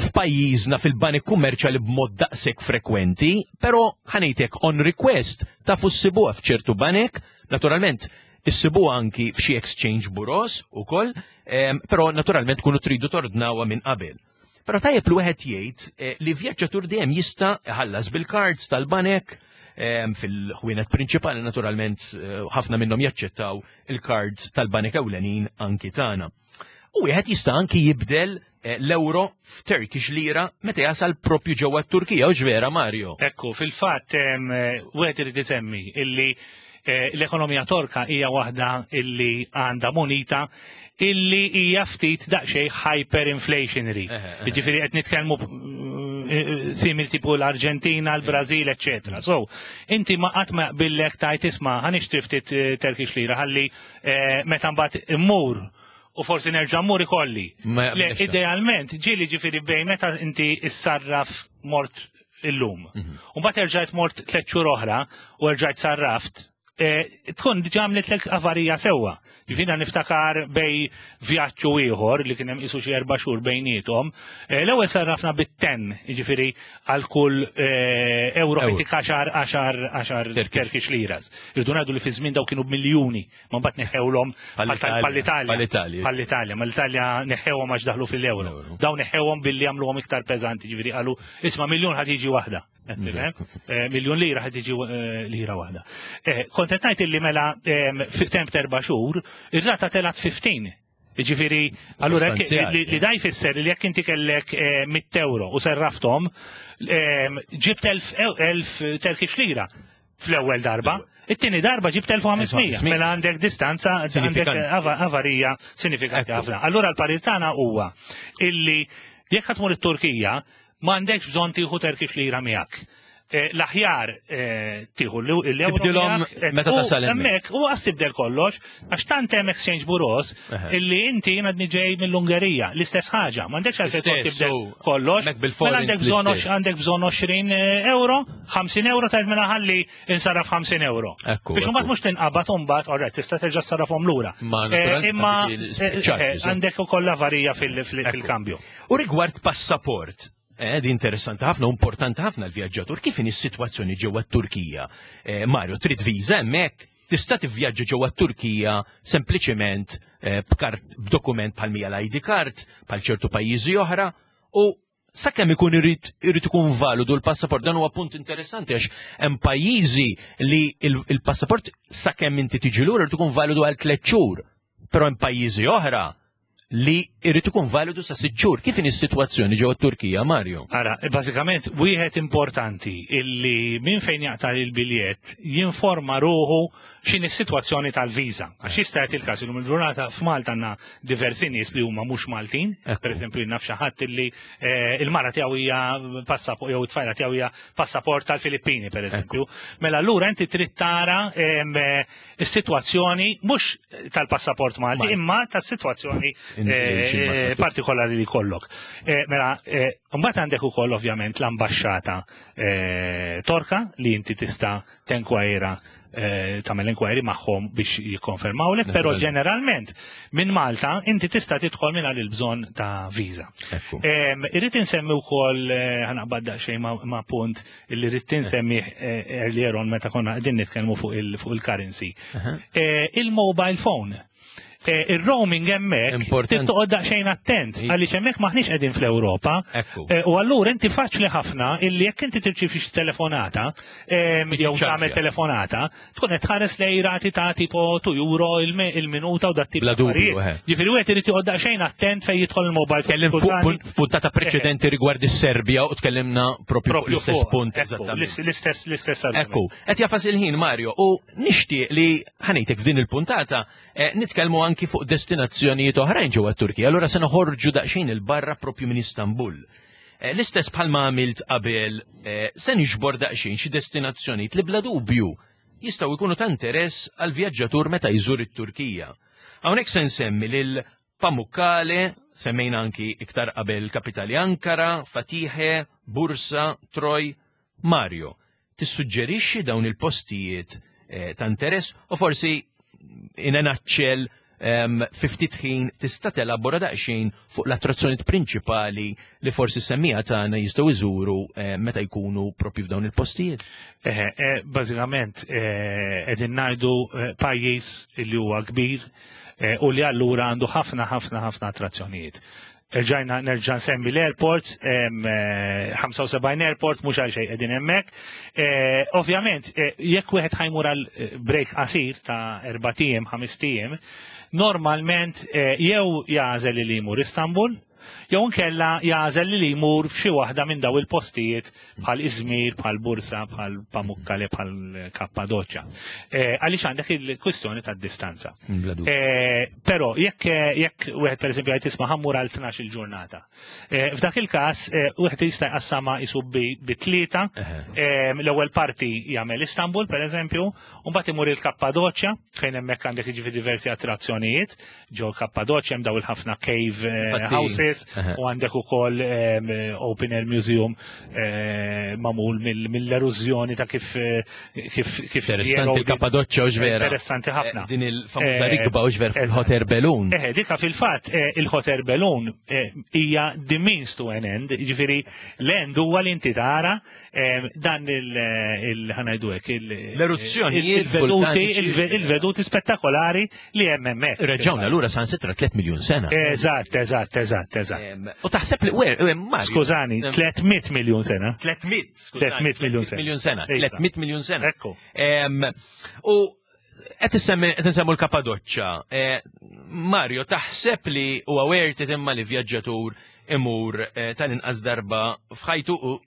f'pajjiżna fil-banek kummerċjali b'mod daqshekk frekwenti, però ħa ngħidlek on request tafu ssibuha f'ċertu banek, naturalment issibuha anki f'xi exchange bureaus ukoll, um, però naturalment tkunu tridu tordnawha minn qabel. Però tajjeb li wieħed jgħid eh, li vjaġġatur dejjem jista' iħallas bil-cards tal-banek em, fil-ħwienet prinċipali, naturalment eh, ħafna minnhom jaċċettaw il-cards tal-banek ewlenin anki tagħna. U wieħed jista' anki jibdel eh, l-euro f'Turkish lira meta jasal propju ġewwa t-Turkija, u vera, Mario? Ekku, fil-fatt, em, eh, wieħed irid isemmi illi eh, l-ekonomija Torka hija waħda illi għandha monita illi hija ftit daqsxejn hyperinflationary. Eħe, eħe. Jiġifieri qed nitkellmu mm, simil tipu l-Arġentina, l-Brażil, eċċetera. So, inti ma qatt ma jaqbillek tajt isma' ħa nixtri ftit eh, Turkish lira ħalli eh, meta mbagħad immur u forsi nerġa' mmur ikolli. Ma Le, jaqbilx da. idealment, ġieli ġifieri bejn meta inti issarraf mort illum. Mhm. U mbagħad erġajt mort tliet xhur oħra u erġajt sarraft, eh, tkun diġà għamlitlek avarija sewwa. Ġifieri niftakar bejn vjaġġ u ieħor li kien hemm qisu xi erba' xhur bejniethom. eh, L-ewwel sarrafna bit-ten, jiġifieri għal kull eh, euro Euro. dik għaxar għaxar għaxar Turkish. Turkish liras. Irridu ngħidu li fi żmien daw kienu b'miljuni, ma mbagħad neħewlhom Bħall-Italja. bħall-Italja. Bħall-Italja. Bħall-Italja, ma l-Italja neħewhom għax daħlu fil-euro. Euro. Dawn neħewhom billi għamluhom iktar peżanti, ġifieri qalu isma' miljun ħad jiġi waħda. Qed tifhem? Eh, Miljun lira ħad jiġi eh, lira waħda. Eh, Kont qed ngħid illi mela em, fi temp t'erba' xhur, ir-rata telgħet ħmistax. Ġifieri, allura jekk- Sostanzjali, li li da jfisser li jekk inti kellek eh, mitt euro u serraftom, em, ġibt elf elf Turkish lira fl-ewwel darba. It-tieni darba ġibt elf u ħames mija. Mela għandek distanza, għandek Sinifikanti. ava- avarija sinifikanti Ekku. ħafna. Allura l-parir tagħna huwa illi jekk ħa tmur it-Turkija m'għandekx bżonn tieħu Turkish lira miegħek. Eh, L-aħjar eh, tieħu l-euro Tibdilhom miegħek, eh, meta u tasal hemmhekk. Hemmhekk u għas tibdel kollox għax tant hemm exchange bureaus Eħe. illi inti jien għadni ġej mill-Ungerija, l-istess ħaġa, m'għandekx għalfejn toqgħod L-istess, tibdel u kollox. hemmhekk bil-forint Mela għandek bżonn l-istess. għandek bżonn għoxrin euro, ħamsin euro tajt mela ħalli insarraf ħamsin euro. Ekku, Biex ekku. mbagħad mhux tinqabad u mbagħad alright tista' terġa' ssarrafhom lura. Ma Eh, naturalment Imma dik il- eh, charges, eh, għandek ukoll avarija fil- fil- Ekku. fil-kambju. U rigward passaport, eh, di interessanti ħafna, u importanti ħafna l-vjaġġatur, kif inhi s-sitwazzjoni ġewwa t-Turkija? Eh, Mario, trid viża hemmhekk? Tista' tivvjaġġa ġewwa t-Turkija sempliċement eh, b'kart b'dokument bħal mija l-I D card, bħal ċertu pajjiżi oħra, u sakemm ikun irid irid ikun validu l-passaport, dan huwa punt interessanti għax hemm pajjiżi li il- il-passaport sakemm inti tiġi lura irid ikun validu għal tliet xhur, però hemm pajjiżi oħra li irid ikun validu sa sitt xhur. Kif inhi s-sitwazzjoni ġewwa t-Turkija, Mario? Ara, bażikament, wieħed importanti illi minn fejn jaqta' il-biljett jinforma ruħu x'inhi s-sitwazzjoni tal-viża. Għax jista' jagħti il-każ illum il-ġurnata f'Malta għandna diversi nies li huma mhux Maltin, Ekku. per eżempju naf xi ħadd illi eh, il-mara tiegħu hija passaport jew it-tfajla tiegħu hija passaport tal-Filippini per eżempju. Mela allura inti trid tara em, eh, is-sitwazzjoni mhux tal-passaport Malti Malti. imma tas-sitwazzjoni In- eh, xi eh, partikolari li kollok. Eh, Mela, eh, mbagħad għandek ukoll ovvjament l-ambaxxata eh, Torka li inti tista' tenkwajra eh, tagħmel inquiry magħhom biex jikkonfermawlek, però Naturalment. ġeneralment minn Malta inti tista' tidħol mingħajr il-bżonn ta' viża. Ekku. Em, Irrid insemmi wkoll eh, ħa naqbad daqsxejn ma' ma' punt illi rrid insemmi eh, earlier on meta konna qegħdin nitkellmu fuq il- fuq il-currency. Aha. Eh, Il-mobile phone. Eh, Il-roaming hemmhekk Importanti. trid toqgħod daqsxejn attent I- għaliex hemmhekk maħniex qegħdin fl-Ewropa. Ekku. Eh, U allura inti faċli ħafna illi jekk inti tirċievi xi telefonata em, Tiġi jew ċarġja. tagħmel telefonata, tkun qed tħares lej rati ta' tipo due euro il- il-minuta u dat tip Bla ta' dubju, affarijiet. eh. Ġifieri wieħed irid joqgħod daqsxejn attent fejn jidħol il-mobile Tkellim fuq Kultani. punt- f'puntata preċedenti rigward is-Serbja u tkellimna propju fuq Propju l-istess fuq, punt ekku, eżattament. L-istess l-istess argument. Ekku, qed jagħfas il-ħin Mario u nixtieq li ħa ngħidlek f'din il-puntata eh, nitkellmu anki fuq destinazzjonijiet oħrajn ġewwa t-Turkija. Allura se noħorġu daqsxejn il-barra propju minn Istanbul. Eh, L-istess bħalma għamilt qabel eh, se niġbor daqsxejn xi destinazzjonijiet li bla dubju jistgħu jkunu ta' interess għal vjaġġatur meta jżur it-Turkija. Hawnhekk se nsemmi lil Pamukkale, semmejna anki iktar qabel kapitali Ankara, Fatihe, Bursa, Troy, Mario. Tissuġġerixxi dawn il-postijiet eh, ta' interess u forsi in a nutshell um, fi ftit ħin tista' telabora daqsxejn fuq l-attrazzjonijiet prinċipali li forsi semmiegħa tagħna jistgħu jżuru eh, meta jkunu propju f'dawn il-postijiet. Eh, eh, Bażikament eh, qegħdin ngħidu eh, pajjiż li huwa kbir eh, u li allura għandu ħafna ħafna ħafna attrazzjonijiet. Erġajna nerġa' nsemmi l-airports, em, eh, ħamsa u sebgħin airport, mhux għal xejn qegħdin hemmhekk. Eh, Ovvjament, eh, jekk wieħed ħa jmur għal eh, break qasir ta' erbat ijiem, ħamest ijiem, normalment eh, jew jagħżel li jmur Istanbul, Jew inkella jagħżel li jmur f'xi waħda minn daw il-postijiet bħal Izmir, bħal Bursa, bħal Pamukkale, bħal Kappadoċja. Eh, għaliex għandek il-kwistjoni tad-distanza. Bla dubju. Eh, Però jekk jekk wieħed pereżempju qed tisma' ħa mmur għal tnax il-ġurnata. Eh, F'dak il-każ eh, wieħed jista' jqassama isu bi bi tlieta. Eħe. Eh, L-ewwel parti jagħmel Istanbul pereżempju, u mbagħad imur il-Kappadoċja fejn hemmhekk għandek jiġifieri diversi attrazzjonijiet. Ġo Kappadoċja hemm daw il-ħafna cave eh, Infatti, houses eħe. u għandek ukoll em, open air museum eh, magħmul mill- mill-erużjoni ta' kif eh, kif kif Interessanti il-Kappadoċja u vera. Interessanti ħafna. Eh, Din il-famuża Eh, rikba u vera fil-Hot Air Balloon. Eh, dika fil-fatt eh, il-Hot Air Balloon eh, hija the means to an end, ġifieri l-end huwa li inti tara eh, dan il- il ħa ngħidu hekk il- L-eruzzjonijiet il-veduti vulkaniċi. il- il-veduti spettakolari li hemm hemmhekk. Reġgħuna lura san sitra tliet miljun sena. Eżatt, eżatt, eżatt, eżatt. Em, U taħseb li, wer, eh, Mario. Skużani, Em, tliet mitt miljun sena. tliet mitt, skużani, tliet mitt miljun sena. miljun sena. Iva. tliet mitt miljun sena. Ekku. Em, U qed issemmi qed insemmu l-Kappadoċċa. Eh, Mario, taħseb li huwa worth it imma li vjaġġatur imur eh, tal-inqas darba f'ħajtu u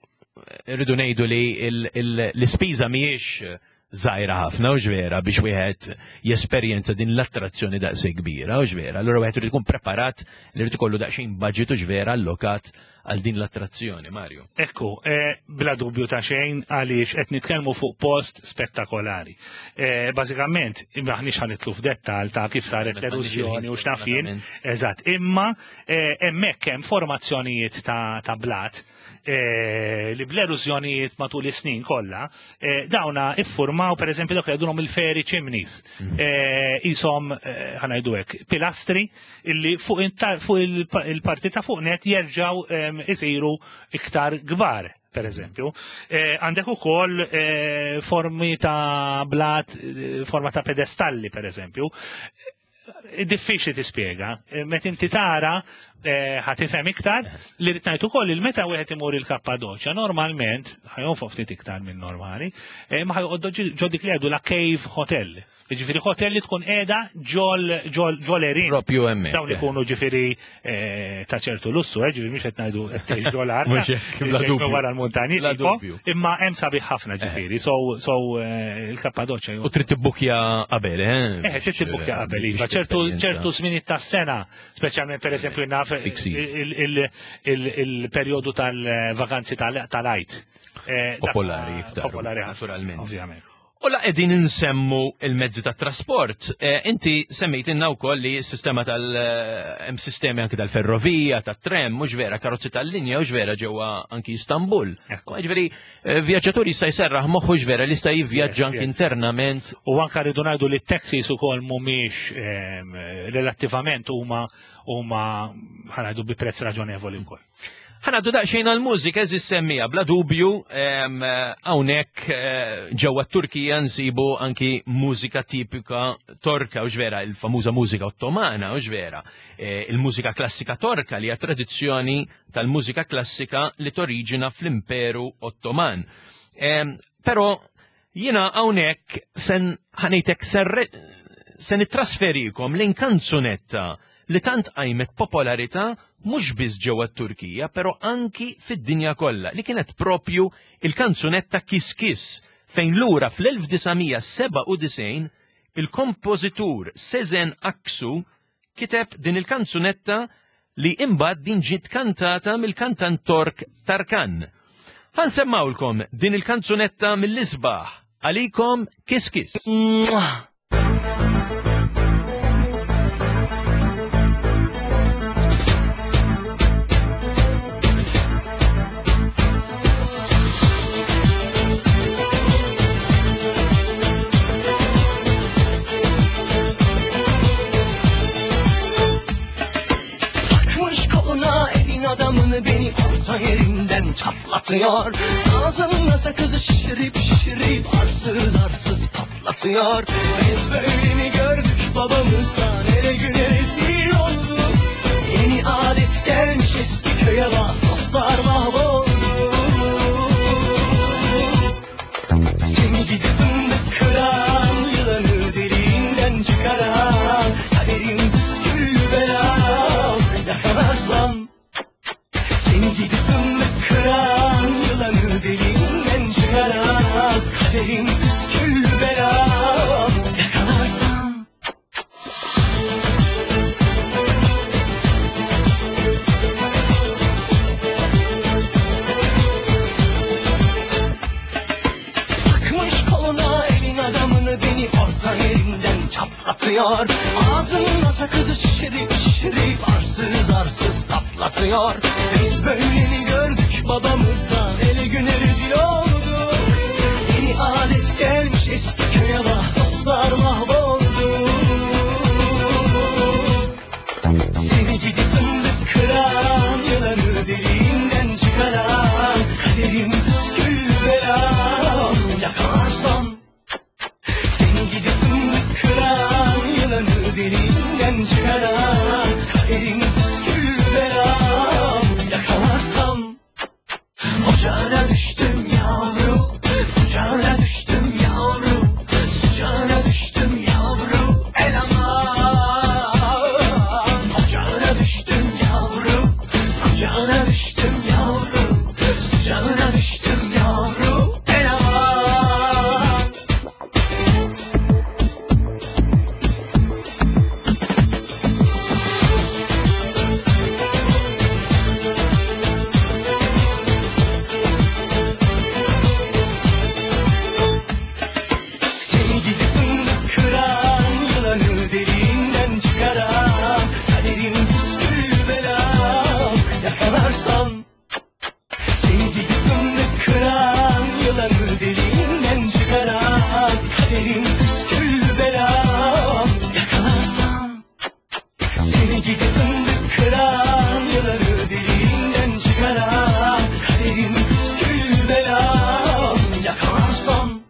rridu ngħidu li il- il- l-ispiża mhijiex żgħira ħafna u vera biex wieħed jesperjenza din l-attrazzjoni daqshekk kbira u vera. Allura wieħed irid ikun preparat li jrid ikollu daqsxejn budget u vera allokat għal din l-attrazzjoni, Mario. Ekku, eh, bla dubju ta' xejn għaliex qed nitkellmu fuq post spettakolari. Eh, Bażikament, maħniex ħa nidħlu f'dettal ta' kif saret l-erużjoni u x'naf jien. Eżatt, imma eh, hemmhekk hemm formazzjonijiet ta', ta' blat eh, li bl-erużjonijiet matul is-snin kollha, eh, dawna iffurmaw pereżempju dak li jgħidulhom il-fairy chimneys. Eh, Isom eh, ħa ngħidu hekk, pilastri illi fuq inta- fuq il- il-parti ta' fuq net jerġgħu em, isiru iktar kbar per eżempju. Eh, Għandek ukoll eh, formi ta' blat, eh, forma ta' pedestalli, per eżempju. Eh, Diffiċli tispjega. Eh, Meta inti tara eh, ħa tifhem iktar li rrid ngħid ukoll il meta wieħed imur il-Kappadoċja normalment ħa jonfoq ftit iktar minn normali, eh, ma ħa joqgħod ġo dik li jgħidu la cave hotel. Ġifieri hotel li tkun qiegħda ġol ġol ġol għerien. Propju hemmhekk. Dawn ikunu ġifieri eh, ta' ċertu lussu, eh, ġifieri mhux qed ngħidu qed tgħix ġol art. Mhux hekk, bla dubju. Wara l-muntanji, Bla tipo, dubju. imma hemm sabiħ ħafna ġifieri. So so eh, il-Kappadoċja U trid tibbukja qabel, eh? Eh, trid tibbukja qabel, iva. Biex ċertu tesperjenza. ċertu żminijiet tas-sena, speċjalment pereżempju naf Peak season. il- il- il- il-perjodu tal-vakanzi tal-Għid. Eh, dak- Popolari iktar. Popolari ħafna, Naturalment. ovvjament. U la qegħdin insemmu il-mezzi ta' trasport. Eh, inti semmejt wkoll li s-sistema tal eh, hemm sistemi anki tal-ferrovija, tat-tram, mhux vera, karozzi tal-linja, mhux vera ġewwa anki Istanbul. Ekku. Ġifieri, eh, vjaġġatur jista' jserraħ moħħu vera li jista' jivvjaġġa anki yes. internament. U anka rridu ngħidu li t-taxis ukoll mhumiex ehm, relattivament huma huma ħa ngħidu bi prezz raġonevoli wkoll. Ħa ngħaddu daqsxejn għal-mużika eżis semmija, bla dubju, em, hawnhekk eh, ġewwa Turkija nsibu anki mużika tipika torka, u vera, il-famuża mużika ottomana, u vera, eh, il-mużika klassika torka li hija tradizzjoni tal-mużika klassika li toriġina fl-Imperu Ottoman. Em, Però jiena hawnhekk sen ħa ngħidlek se nittrasferikom lejn kanzunetta li tant qajmet popolarità mhux biss ġewwa t-Turkija, però anki fid-dinja kollha, li kienet propju il-kanzunetta Kiss Kiss, fejn lura fl-elf disa' mija sebgħa u disgħin il-kompożitur Sezen Aksu kiteb din il-kanzunetta li imbagħad din ġiet kantata mill-kantant Tork Tarkan. Ħa nsemmgħulkom din il-kanzunetta mill-isbaħ għalikom, Kiss Kiss. Mwah! Takmış koluna elin adamını, beni orta yerinden çatlatıyor. Ağzımda sakızı şişirip şişirip arsız arsız patlatıyor. Biz böyle mi gördük babamızdan, ele güne rezil olduk. Yeni adet gelmiş eski köye bak, dostlar mahvoldu. Seni gidi fındık kıran, yılanı deliğinden çıkaran, kaderim püsküllü belam, yakalarsam Sakızı şişirip şişirip arsız arsız patlatıyor. Biz böyle mi gördük babamızdan, ele güne rezil olduk. Yeni alet gelmiş eski köye bak, dostlar mahvoldu. Seni gidip fındık kıran, yılanı deliğinden çıkaran, kaderim püskül belam yakalarsam. Seni gidip fındık kıran, yılanı deliğinden çıkaran, kaderim püskül belam yakalarsam. Ocağına düştüm yavru, kucağına düştüm yavru, sıcağına düştüm yavru, el aman. Ocağına düştüm yavru, kucağına düştüm yavru, sıcağına düştüm yavru, el aman. Seni gidip fındık kıran, yılanı deliğinden çıkaran, kaderim püskül belam yakalarsam. Seni gidip fındık kıran, yılanı deliğinden çıkaran, kaderim püskül belam yakalarsam. Seni gidip fındık kıran, yılanı deliğinden çıkaran, kaderim püskül belam yakalarsam.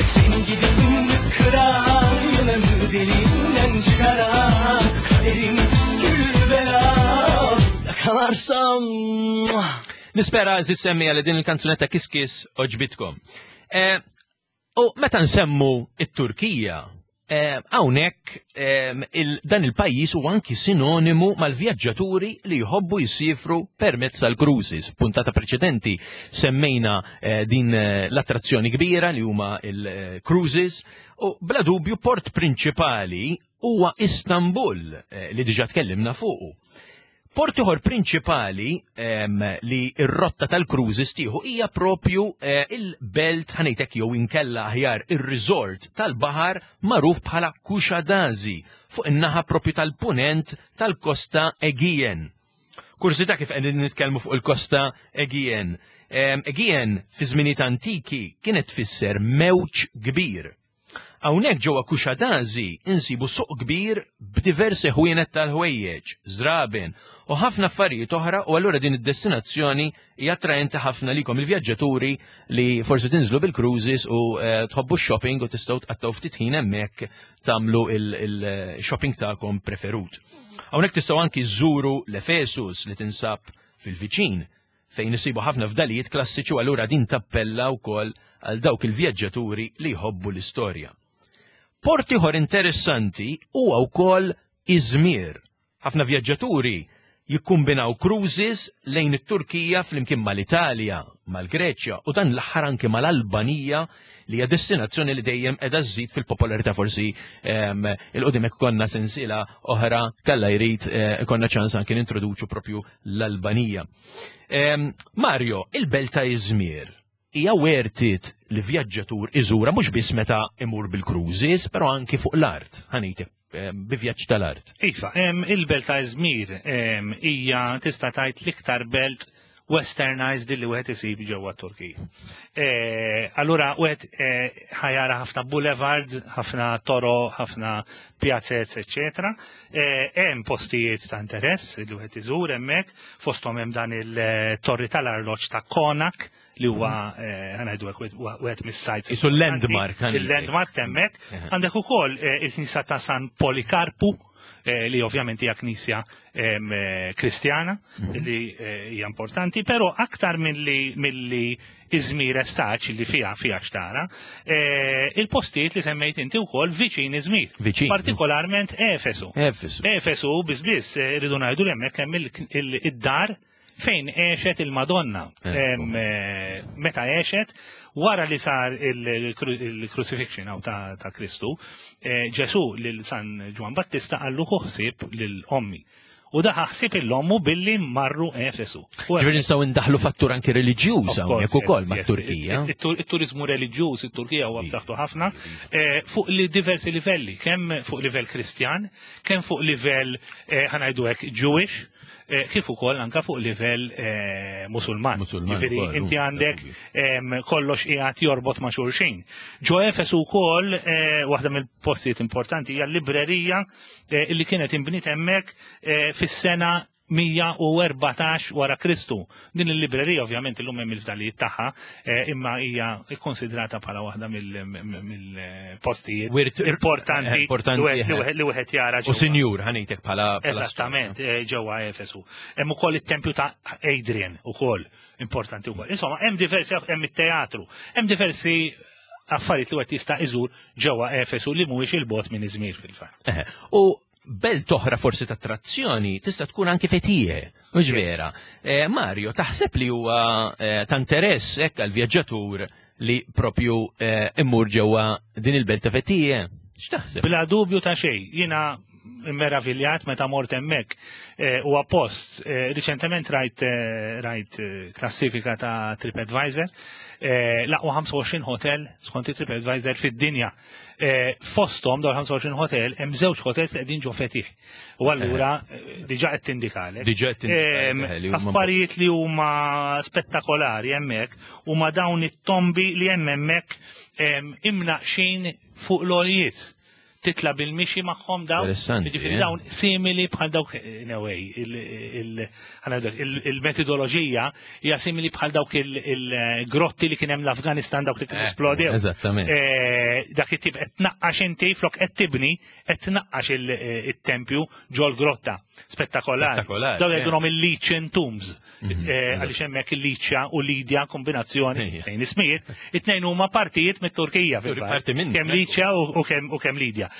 Seni gidip fındık kıran, yılanı deliğinden çıkaran, kaderim püskül belam yakalarsam. Nispera għeżież semmiegħa li din il-kanzunetta Kiss għoġbitkom. Eh, U meta nsemmu it-Turkija, eh, hawnhekk eh, il- dan il-pajjiż huwa anki sinonimu mal-vjaġġaturi li jħobbu jisifru permezz tal-cruises. F'puntata preċedenti semmejna eh, din eh, l-attrazzjoni kbira li huma il-cruises u bla dubju port prinċipali huwa Istanbul eh, li diġà tkellimna fuqu. Port ieħor prinċipali em, li r-rotta tal-cruises tieħu hija propju eh, il-belt ħa ngħidlek jew inkella aħjar ir-resort tal-baħar magħruf bħala Kushadazi fuq in-naħa propju tal-punent tal-Kosta Aegean. Kurżità kif qegħdin nitkellmu fuq il-Kosta Aegean. Em, Aegean fi żminijiet antiki kienet tfisser mewġ kbir. Hawnhekk ġewwa Kushadazi insibu suq kbir b'diversi ħwienet tal-ħwejjeġ, żraben u ħafna affarijiet oħra, u allura din id-destinazzjoni hija attraenti ħafna likom il-vjaġġaturi li forsi tinżlu bil-cruises u eh, tħobbu shopping u tistgħu tqattgħu ftit ħin hemmhekk tagħmlu il-shopping tagħkom preferut. Hawnhekk tistgħu anki żżuru l-Efesus li tinsab fil-viċin fejn isibu ħafna fdalijiet klassiċi u allura din tappella wkoll għal dawk il-vjaġġaturi li jħobbu l-istorja. Port ieħor interessanti huwa wkoll Izmir. Ħafna vjaġġaturi jikkumbinaw cruises lejn it-Turkija flimkien mal-Italja, mal-Greċja u dan l-aħħar anke mal-Albanija li hija destinazzjoni li dejjem qiegħda żżid fil-popolarità. Forsi em, il-qudiem hekk konna sensiela oħra kalla jrid eh, konna ċans anke nintroduċu propju l-Albanija. Em, Mario, il-belt ta' Izmir hija worth it li vjaġġatur iżura mhux biss meta imur bil-cruises, però anki fuq l-art, ħa ngħidlek, bi vjaġġ tal-art. Iva, em, il-belt ta' Izmir em, hija tista' tgħid l-iktar belt westernized li wieħed isib ġewwa Turkija. Eh, allura wieħed eh, ħa jara ħafna boulevard, ħafna toro, ħafna pjazzez, eċetera. Eh, Hemm postijiet ta' interess li wieħed iżur hemmhekk, fosthom hemm dan il-torri tal-arloġġ ta' Konak li huwa eh, ħa ngħidu hekk wieħed mis-sites. Isu landmark, ħa ngħidlek. Il-landmark hemmhekk. Eħe. Għandek ukoll eh, il-knisja ta' San Polikarpu, eh, li ovvjament hija knisja em, eh, kristjana li eh, hija importanti, però aktar milli milli Izmir essaċ li fija fija xtara, eh, il-postijiet li semmejt inti wkoll viċin Izmir. Viċin. Partikolarment Efesu. Efesu. Efesu biss biss eh, rridu ngħidu li hemmhekk hemm il- il- id-dar fejn għexet il-Madonna. Ekku. Em, eh, Meta għexet, wara li sar il-crucifixion aw ta' ta' Kristu, eh, Ġesu lil San Ġwan Battista qallu ħu ħsieb lil ommi. U daħ ħsieb il-ommu billi marru Efesu. Ġifieri nistgħu ndaħlu fattur anki reliġjuż hawnhekk ukoll mat-Turkija. Il-turizmu reliġjuż it-Turkija huwa b'saħħtu ħafna eh, fuq li diversi livelli, kemm fuq livell Kristjan, kemm fuq livell eh, ħa ngħidu hekk Jewish, eh, kif ukoll anka fuq livell Musulman. Ġifieri inti għandek kollox qiegħed jorbot ma' xulxin. Ġo Efesu wkoll waħda mill-postijiet importanti hija l-librerija li kienet inbniet hemmhekk fis-sena mija u erbatax wara Kristu. Din il-librerija ovvjament illum hemm il-fdalijiet tagħha, imma hija kkonsidrata bħala waħda mill-postijiet importanti li wieħed jara ġewwa. U sinjur ħanejtek bħala Eżattament, ġewwa Efesu. Hemm ukoll it-tempju ta' Adrian ukoll importanti wkoll. Insomma, hemm diversi, hemm it-teatru, hemm diversi affarijiet li wieħed jista' iżur ġewwa Efesu li mhuwiex il-bogħod minn Izmir fil-fatt. U belt oħra forsi ta' attrazzjoni tista' tkun anke Fethiye, mhux vera. Mario, taħseb li huwa ta' interess hekk għall-vjaġġatur li propju immur ġewwa din il-belt ta' Fethiye? X'taħseb? Bla dubju ta' xejn, jiena meraviljat meta mort hemmhekk huwa post. Riċentement rajt rajt klassifika ta' TripAdvisor, l-aqwa ħamsa u għoxrin hotel skont TripAdvisor fid-dinja. Fosthom dawn ħamsa u għoxrin hotel hemm żewġ hotels li qegħdin ġo Fethiye. U allura diġà qed tindikalek. Diġà qed tindikalek. Affarijiet li huma spettakolari hemmhekk huma dawn it-tombi li hemm hemmhekk imnaqxin fuq l-għoljiet. Titla bil-mixi magħhom dawn, jiġifieri dawn simili bħal dawk anyway, il-metodoloġija hija simili bħal dawk il-grotti li kien hemm l-Afganistan dawk li kienu esplodew. Eżattament. Dak it-tip qed tnaqqax inti flok qed tibni qed tnaqqax it-tempju ġol-grotta. Spettakolari. Dawn jgħidulhom il-Legion Tombs. Għaliex hemmhekk il-Liċja u Lidja kombinazzjoni tnejn ismijiet, it-tnejn huma partijiet mit-Turkija fil-fatt. Kemm Liċja u kemm Lidja.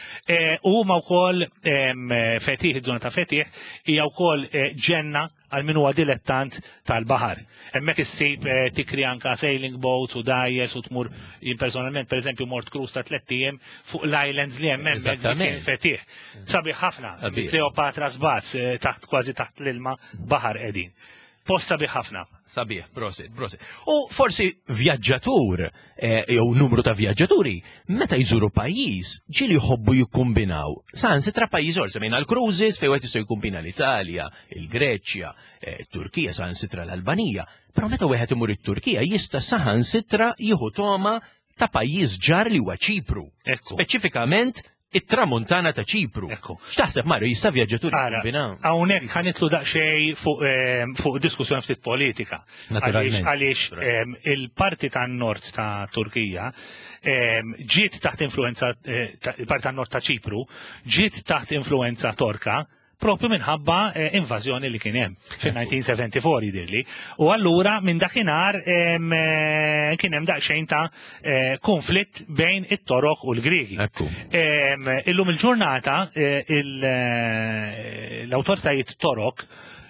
U huma wkoll Fethiye, iż-żona ta' Fethiye hija wkoll ġenna għal min huwa dilettant tal-baħar. Hemmhekk issib tikri anka sailing boats u dgħajjes u tmur jien personalment pereżempju mort cruise ta' tliet ijiem fuq l-islands li hemm hemmhekk Fethiye. Sabiħ ħafna, Cleopatra Sbaz taħt kważi taħt l-ilma baħar qegħdin. Post sabiħ ħafna. Sabiħ, prosit, prosit. U forsi vjaġġatur, jew numru ta' vjaġġaturi, meta jżuru pajjiż, ġieli jħobbu jikkombinaw. Saħansitra pajjiż ieħor, semmejna l-cruises fejn wieħed jista' jikkombina l-Italja, il-Greċja, it-Turkija, saħansitra l-Albanija. Però meta wieħed imur it-Turkija jista' saħansitra jieħu toma ta' pajjiż ġar li huwa Ċipru. Speċifikament it-tramuntana ta' Ċipru. X'taħseb Mario, jista' vjaġġatur jikkombinaw? Hawnhekk ħanitlu daqsxejn fuq diskussjoni ftit politika. Għaliex il-parti tan-nord ta' Turkija ġiet taħt influenza, il-parti tan-nord ta' Ċipru ġiet taħt influenza Torka propju minħabba invażjoni li kien hemm fin-nineteen seventy-four jidhirli. U allura minn dakinhar kien hemm daqsxejn ta' konflitt bejn it-Torok u l-Griegi. Illum il-ġurnata l-awtoritajiet Torok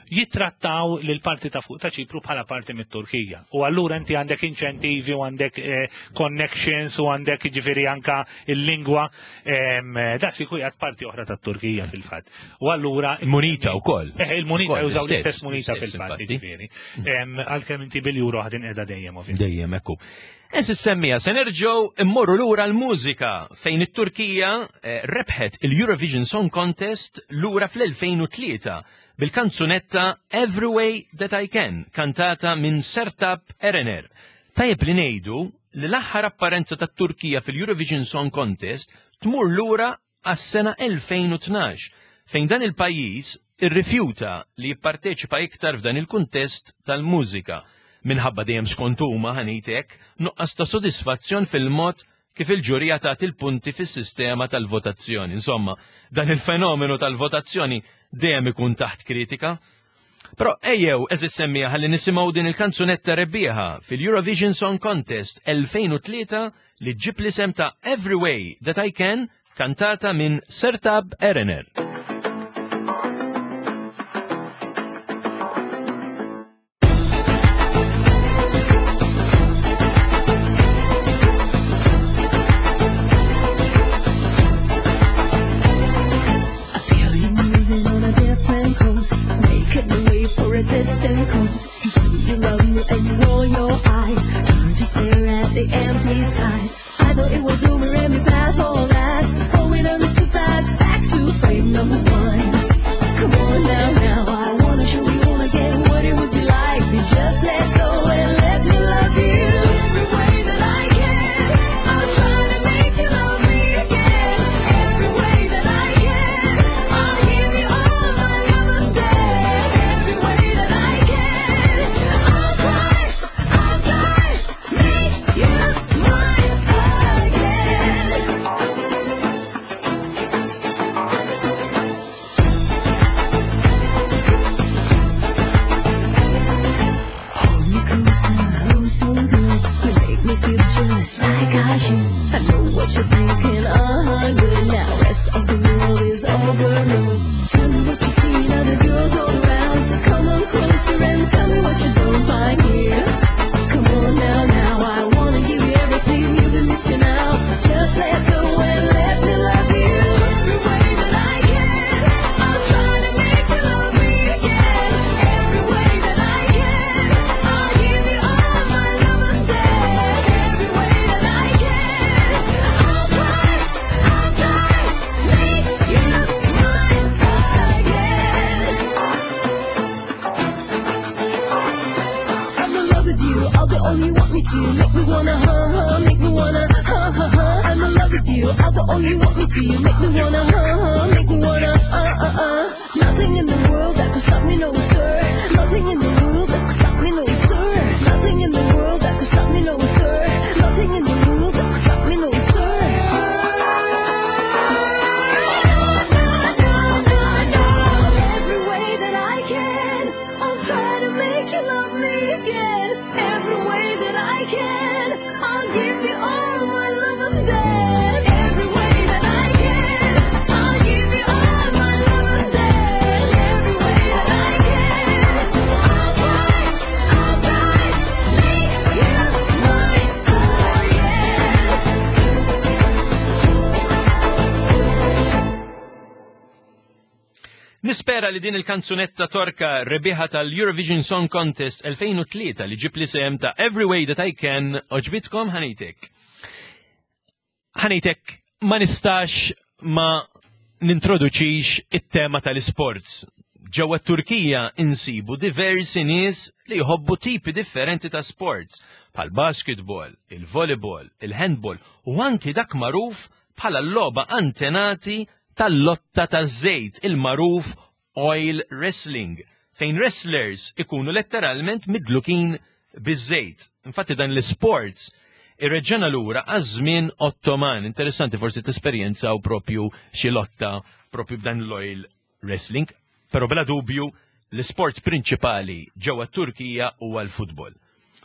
jittrattaw lil parti ta' fuq ta' Ċipru bħala parti mit-Turkija. U allura inti għandek inċentivi u għandek connections u għandek ġifieri anka il-lingwa da siku jgħat parti oħra tat-Turkija fil-fatt. U allura il-munita wkoll. Eh, il-munita jużaw l-istess munita fil-fatt ġifieri. Għalkemm inti bil-euro ħadin qiegħda dejjem ovvjament. Dejjem ekku. Eżis semmija, se nerġgħu immorru lura l-mużika fejn it-Turkija rebħet il-Eurovision Song Contest lura fl-elfejn u tlieta bil-kanzunetta Every Way That I Can, kantata minn Sertab Erener. Tajjeb li ngħidu li l-aħħar apparenza tat-Turkija fil-Eurovision Song Contest tmur lura għas-sena elfejn u tnax, fejn dan il-pajjiż irrifjuta li jipparteċipa iktar f'dan il-kuntest tal-mużika. Minħabba dejjem skont huma ħanitek nuqqas ta' sodisfazzjon fil-mod kif il-ġurija tagħti il-punti fis-sistema tal-votazzjoni. Insomma, dan il-fenomenu tal-votazzjoni dejjem ikun taħt kritika. Però ejjew eżis semmija ħalli nisimgħu din il-kanzunetta rebbieħa fil-Eurovision Song Contest elfejn u tlieta li ġib l-isem ta' Every Way That I Can, kantata minn Sertab Erener. a distant cause. You say you love me and you roll your eyes, turn to stare at the empty skies. I thought it was over and we passed all that. Going on too fast, back to frame number one. Come on now, now, I wanna show you all again what it would be like if you just let go and let me love you. Every way that I can, I'll try to make you love me again. Every way that I can, I'll give you all my love and death. Every way that I can, I'll try, I'll try, make you mine again. Hold me close and oh so good. You make me feel just like I should. I know what you're thinking, uh-huh, good. Now rest of the world is overload. Tell me what you see in other girls all around. Come on closer and tell me what you don't find here. Come on now, now, I wanna give you everything you've been missing out. Just let go and let me love you. Every way that I can, I'll try to make you love me again. Every way that I can, I'll give you all my love and death. Every way that I can, I'll try, I'll try, make you mine again. I'm in love with you, I'll do all you want me to. Make me wanna, huh, huh, make me wanna, huh, huh, huh. I'm in love with you, I'll do all you want me to. You make me wanna, huh, huh, make me wanna, uh, uh, uh. Nothing in the world that could stop me, no sir. Nothing in the world that could stop me, no sir. Nothing in the world that could stop me, no sir. Nothing in the world that could stop me, no sir. No, no, no, no. Every way that I can, I'll try to make you love me again. Every way that I can, I'll give you all my love and death. Every way that I can, I'll give you all my love and death. Every way that I can, I'll try, I'll try, make you mine again. Nispera li din il-kanzunetta torka rebbieħa tal-Eurovision Song Contest elfejn u tlieta li ġib l-isem ta' Every Way That I Can oġbitkom ħanitek. Ħanitek ma nistax ma nintroduċix it-tema tal-sports. Ġewwa Turkija insibu diversi nies li jħobbu tipi differenti ta' sports, bħal basketball, il-volleyball, il-handball u anki dak magħruf bħala l-logħba antenati tal-lotta taż-żejt, il-magħruf oil wrestling, fejn wrestlers ikunu letteralment midlukin biż-żejt. Infatti dan l-sports irreġġena lura għaż-żmien Ottoman. Interessanti forsi tesperjenzaw propju xi lotta propju b'dan l-oil wrestling, però bla dubju l-sport prinċipali ġewwa Turkija huwa l-futbol.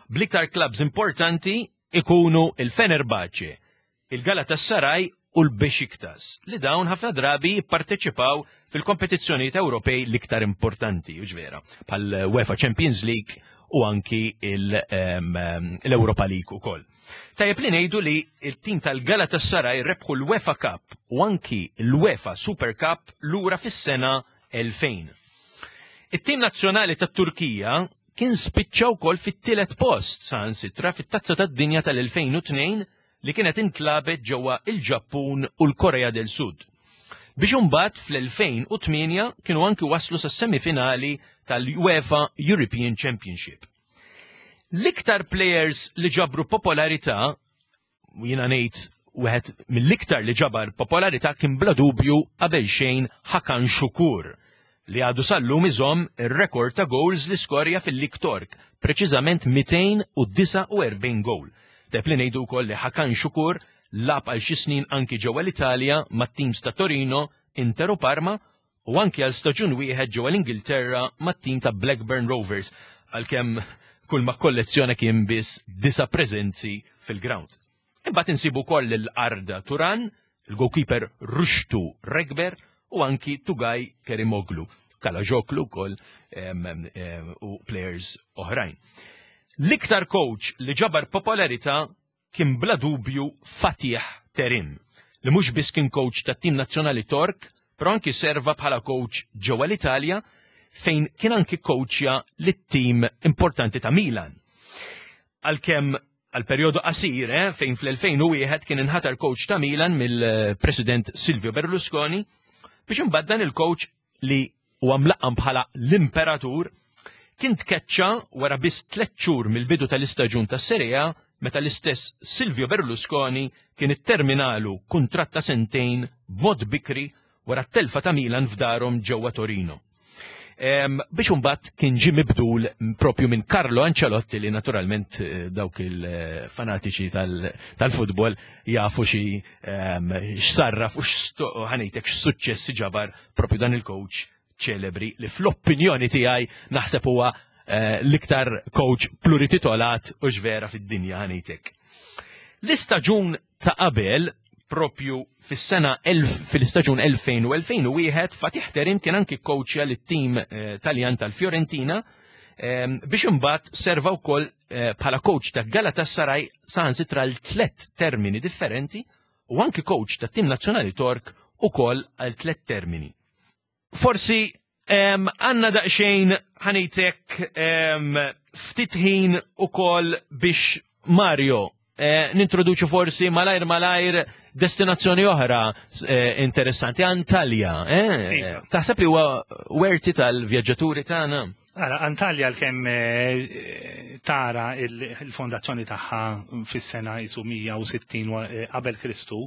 Bl-iktar clubs importanti ikunu il-Fenerbahce, il-Galatasaray u l-Besiktas, li dawn ħafna drabi jipparteċipaw fil-kompetizzjonijiet Ewropej l-iktar importanti, u ġvera, bħal UEFA Champions League u anki il, em, em, l-Europa League ukoll. Tajjeb li ngħidu li il-tim tal-Galatasaray rebħu l-UEFA Cup u anki l-UEFA Super Cup lura fis-sena elfejn. It-tim nazzjonali tat-Turkija kien spiċċa wkoll fit-tielet post saħansitra fit-Tazza tad-Dinja tal-elfejn u tnejn li kienet intlabet ġewwa il-Ġappun u l-Korea del Sud. Biex imbagħad fl-elfejn u tmienja kienu anki waslu sas-semifinali tal-UEFA European Championship. L-iktar players li ġabru popolarità, u jiena ngħid wieħed mill-iktar li ġabar popolarità kien bla dubju qabel xejn Hakan Şükür, li għadu sal-lum iżomm ir-rekord ta' goals li skorja fil-Lig Tork, preċiżament mitejn u disa u erbgħin goal. Tajjeb li ngħidu wkoll li Hakan Şükür lab għal xi snin anki ġewwa l-Italja mat-teams ta' Torino, Inter u Parma, u anki għal staġun wieħed ġewwa l-Ingilterra mat-team ta' Blackburn Rovers, għalkemm kull ma kollezzjoni kien biss disa preżenzi fil-ground. Imbagħad insibu wkoll lil Arda Turan, il-goalkeeper Rushtu Regber u anki Tugay Kerimoglu, Kalajoklu wkoll, em, em, u players oħrajn. L-iktar coach li ġabar popolarità kien bla dubju Fatih Terim, li mhux biss kien coach tat-tim nazzjonali Tork, però anki serva bħala coach ġewwa l-Italja, fejn kien anki coachja lit-tim importanti ta' Milan. Għalkemm għal perjodu qasir, eh, fejn fl-elfejn u wieħed kien inħatar coach ta' Milan mill-President Silvio Berlusconi, biex imbagħad dan il-coach li huwa mlaqqam bħala l-Imperatur kien tkeċċa wara biss tliet xhur mill-bidu tal-istaġun tas-Serie A, meta l-istess Silvio Berlusconi kien itterminalu kuntratt ta' sentejn b'mod bikri wara t-telfa ta' Milan f'darhom ġewwa Torino. Em, biex imbagħad kien ġie mibdul propju minn Carlo Ancelotti, li naturalment eh, dawk il-fanatiċi tal-futbol jafu xi em, x'sarraf u x'sto- ħa ngħidlek x'suċċessi ġabar propju dan il-coach ċelebri li fl-opinjoni tiegħi naħseb huwa eh, l-iktar coach plurititolat u ġvera fid-dinja, ħa ngħidlek. L-istaġun ta' qabel, propju fis-sena fil-istaġun elfejn u elfejn u wieħed, Fatih Terim kien anki coachja lit-tim eh, Taljan tal-Fiorentina eh, biex imbagħad serva wkoll eh, bħala coach ta' Galatasaray saħansitra l tlet termini differenti u anki coach ta' tim nazzjonali Tork ukoll għal tlet termini. Forsi għandna daqsxejn, ħa ngħidlek, ftit ħin ukoll biex, Mario, eh, nintroduċu forsi malajr malajr destinazzjoni oħra eh, interessanti, Antalja. Eh? Iva. Taħseb li huwa worth it tal-vjaġġaturi tagħna? Ara, Antalja l-kem eh, tara il-fondazzjoni tagħha fis-sena isu mija u sittin wa- eh, qabel Kristu,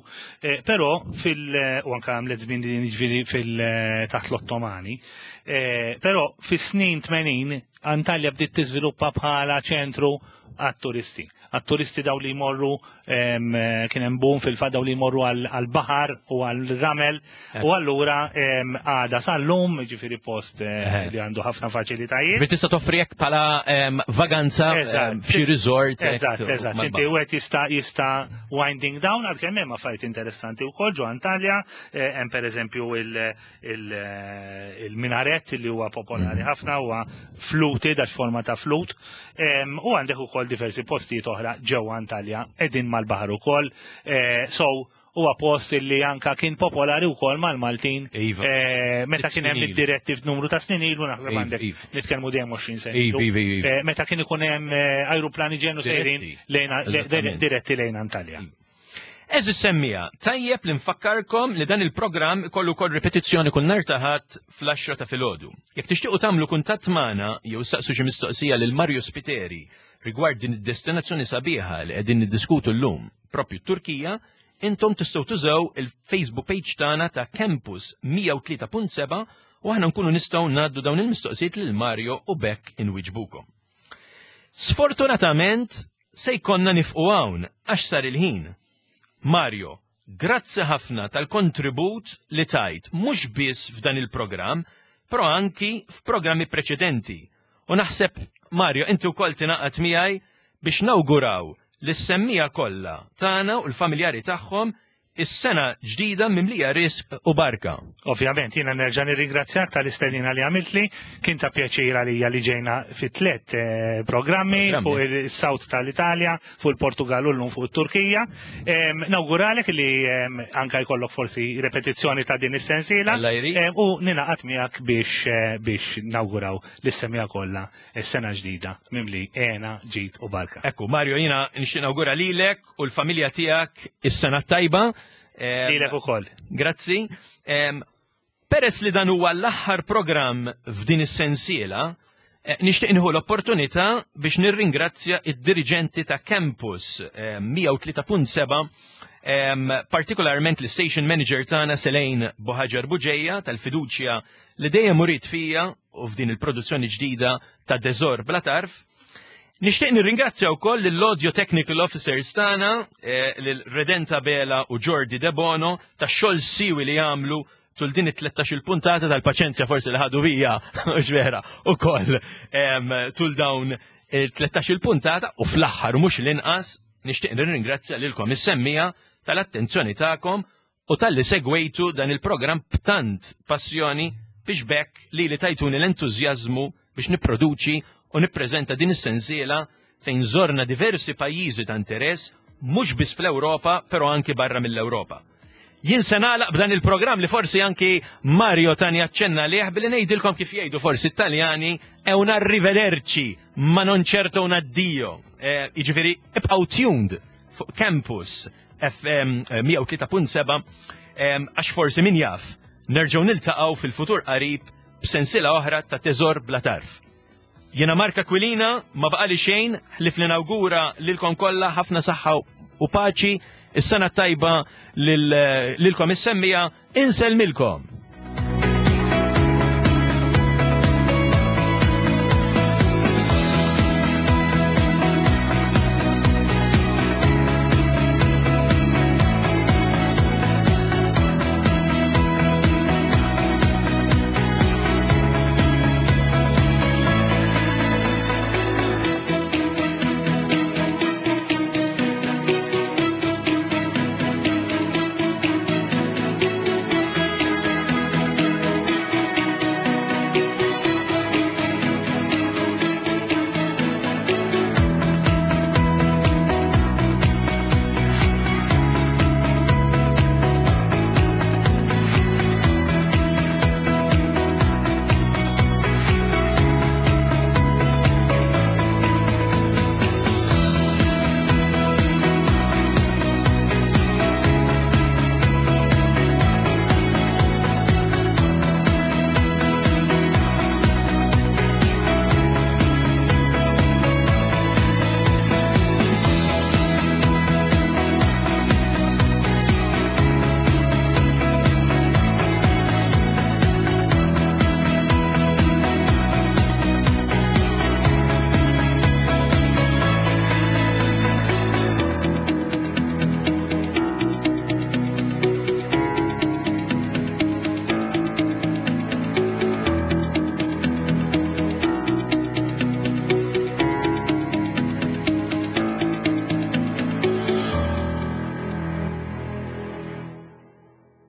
eh, però fil- u anka għamlet żmien din, jiġifieri fil taħt l-Ottomani, eh, però fis-snin tmenin Antalja bdiet tiżviluppa bħala ċentru għat-turisti. Għat-turisti daw li jmorru em, eh, kien hemm boom fil-fatt, daw li jmorru għal-baħar u għal-ramel u allura em, għada sal-lum, ġifieri post eh, Eħe. li għandu ħafna faċilitajiet. Ġifieri tista' toffri hekk bħala em, vaganza Eżatt. em, f'xi resort hekk Eżatt, eżatt. mal-baħar. Inti wieħed jista' jista' winding down, għalkemm hemm affarijiet interessanti wkoll ġo Antalja, eh, hemm pereżempju il- il- eh, il-minaret li huwa popolari Mhm. ħafna, huwa fluted għax forma ta' flut. Em, U għandek ukoll diversi postijiet oħra ġewwa Antalja qegħdin mal-baħar ukoll. Eh, So huwa post li anka kien popolari wkoll mal-Maltin. Iva. Eh, Meta kien hemm Snin ilu. id-diretti f'numru ta' snin ilu, naħseb Iva, għandek iva. nitkellmu dejjem għoxrin sena Iva, ilu. iva, iva. Eh, Meta kien ikun hemm eh, ajruplani ġenu sejrin Diretti. lejn le- Eżattament. diretti lejn Antalja. Għeżież semmiegħa, tajjeb li nfakkarkom li dan il-programm ikollu kol ripetizzjoni kull nhar ta' Ħadd fl-għaxra ta' filgħodu. Jekk tixtiequ tagħmlu kuntatt magħna jew saqsu xi mistoqsija lil Mario Spiteri rigward din id-destinazzjoni sabiħa li qegħdin niddiskutu llum, propju Turkija, intom tistgħu tużaw il-Facebook page tagħna ta' Campus mija u tlieta punt seba' u aħna nkunu nistgħu ngħaddu dawn il-mistoqsijiet lil Mario u bekk inwiġbukom. Sfortunatament se jkollna nieqfu hawn għax sar il-ħin. Mario, grazzi ħafna tal-kontribut li tajt mhux biss f'dan il-programm, però anki f'programmi preċedenti. U naħseb, Mario, inti wkoll tingħaqad miegħi biex nawguraw lis-semmiegħa kollha tagħna u l-familjari tagħhom is-sena ġdida mimlija risq u barka. Ovvjament, jiena nerġa' nirringrazzjak tal-istedina li għamiltli, kien ta' pjaċir għalija li ġejna fi tliet eh, programmi Programmi. fuq il-South tal-Italja, fuq il-Portugal u llum fuq it-Turkija. Em, Nawguralek li em, anka jkollok forsi repetizzjoni ta' din is-sensiela. Alla jrid. Em, U ningħaqad miegħek biex eh, biex nawguraw lis-semmiegħa kollha is-sena ġdida mimli hena, ġid u barka. Ekku, Mario, jiena nixtieq nawgura lilek u l-familja tiegħek is-sena tajba. Em, Lilek ukoll. Grazzi. Em, Peress li dan huwa l-aħħar programm f'din is-sensiela, eh, nixtieq nieħu l-opportunità biex nirringrazzja id-diriġenti ta' Campus eh, mija u tlieta punt seba', em, partikolarment l-station manager tagħna Selejn Buhaġar Buġeja tal-fiduċja li dejjem uriet fija u f'din il-produzzjoni ġdida ta' Teżor Bla Tarf. Nixtieq nirringrazzja wkoll lill-Audio Technical Officers tagħna, eh, lil Redenta Bela u Jordi De Bono, tax-xogħol siwi li jagħmlu tul din it-tlettax il puntata, tal-paċenzja forsi li ħadu bija, mhux vera, ukoll em, tul dawn il-tlettax il puntata. U fl-aħħar u mhux l-inqas nixtieq nirringrazzja lilkom is-semmiegħa tal-attenzjoni tagħkom u talli segwejtu dan il-programm b'tant passjoni biex bekk li li tajtuni l-entużjażmu biex nipproduċi u nippreżenta din is-sensiela fejn zorna diversi pajjiżi ta' interess mhux biss fl-Ewropa, però anki barra mill-Ewropa. Jien se nagħlaq b'dan il-programm li forsi anki Mario tani aċċenna liħ billi ngħidilkom kif jgħidu forsi Italjani è un arrivederci, ma non certo un addio. Eh, Jiġifieri ibqgħu tuned fuq Campus F M mija u tlieta punt seba' għax forsi, min jaf, nerġgħu niltaqgħu fil-futur qarib b'sensila oħra ta' Teżor Bla Tarf. Jiena Mark Aquilina, ma baqali xejn ħlief li nawgura lilkom kollha ħafna saħħa u paċi, is-sena tajba lilkom is-semmiegħa, insellmilkom.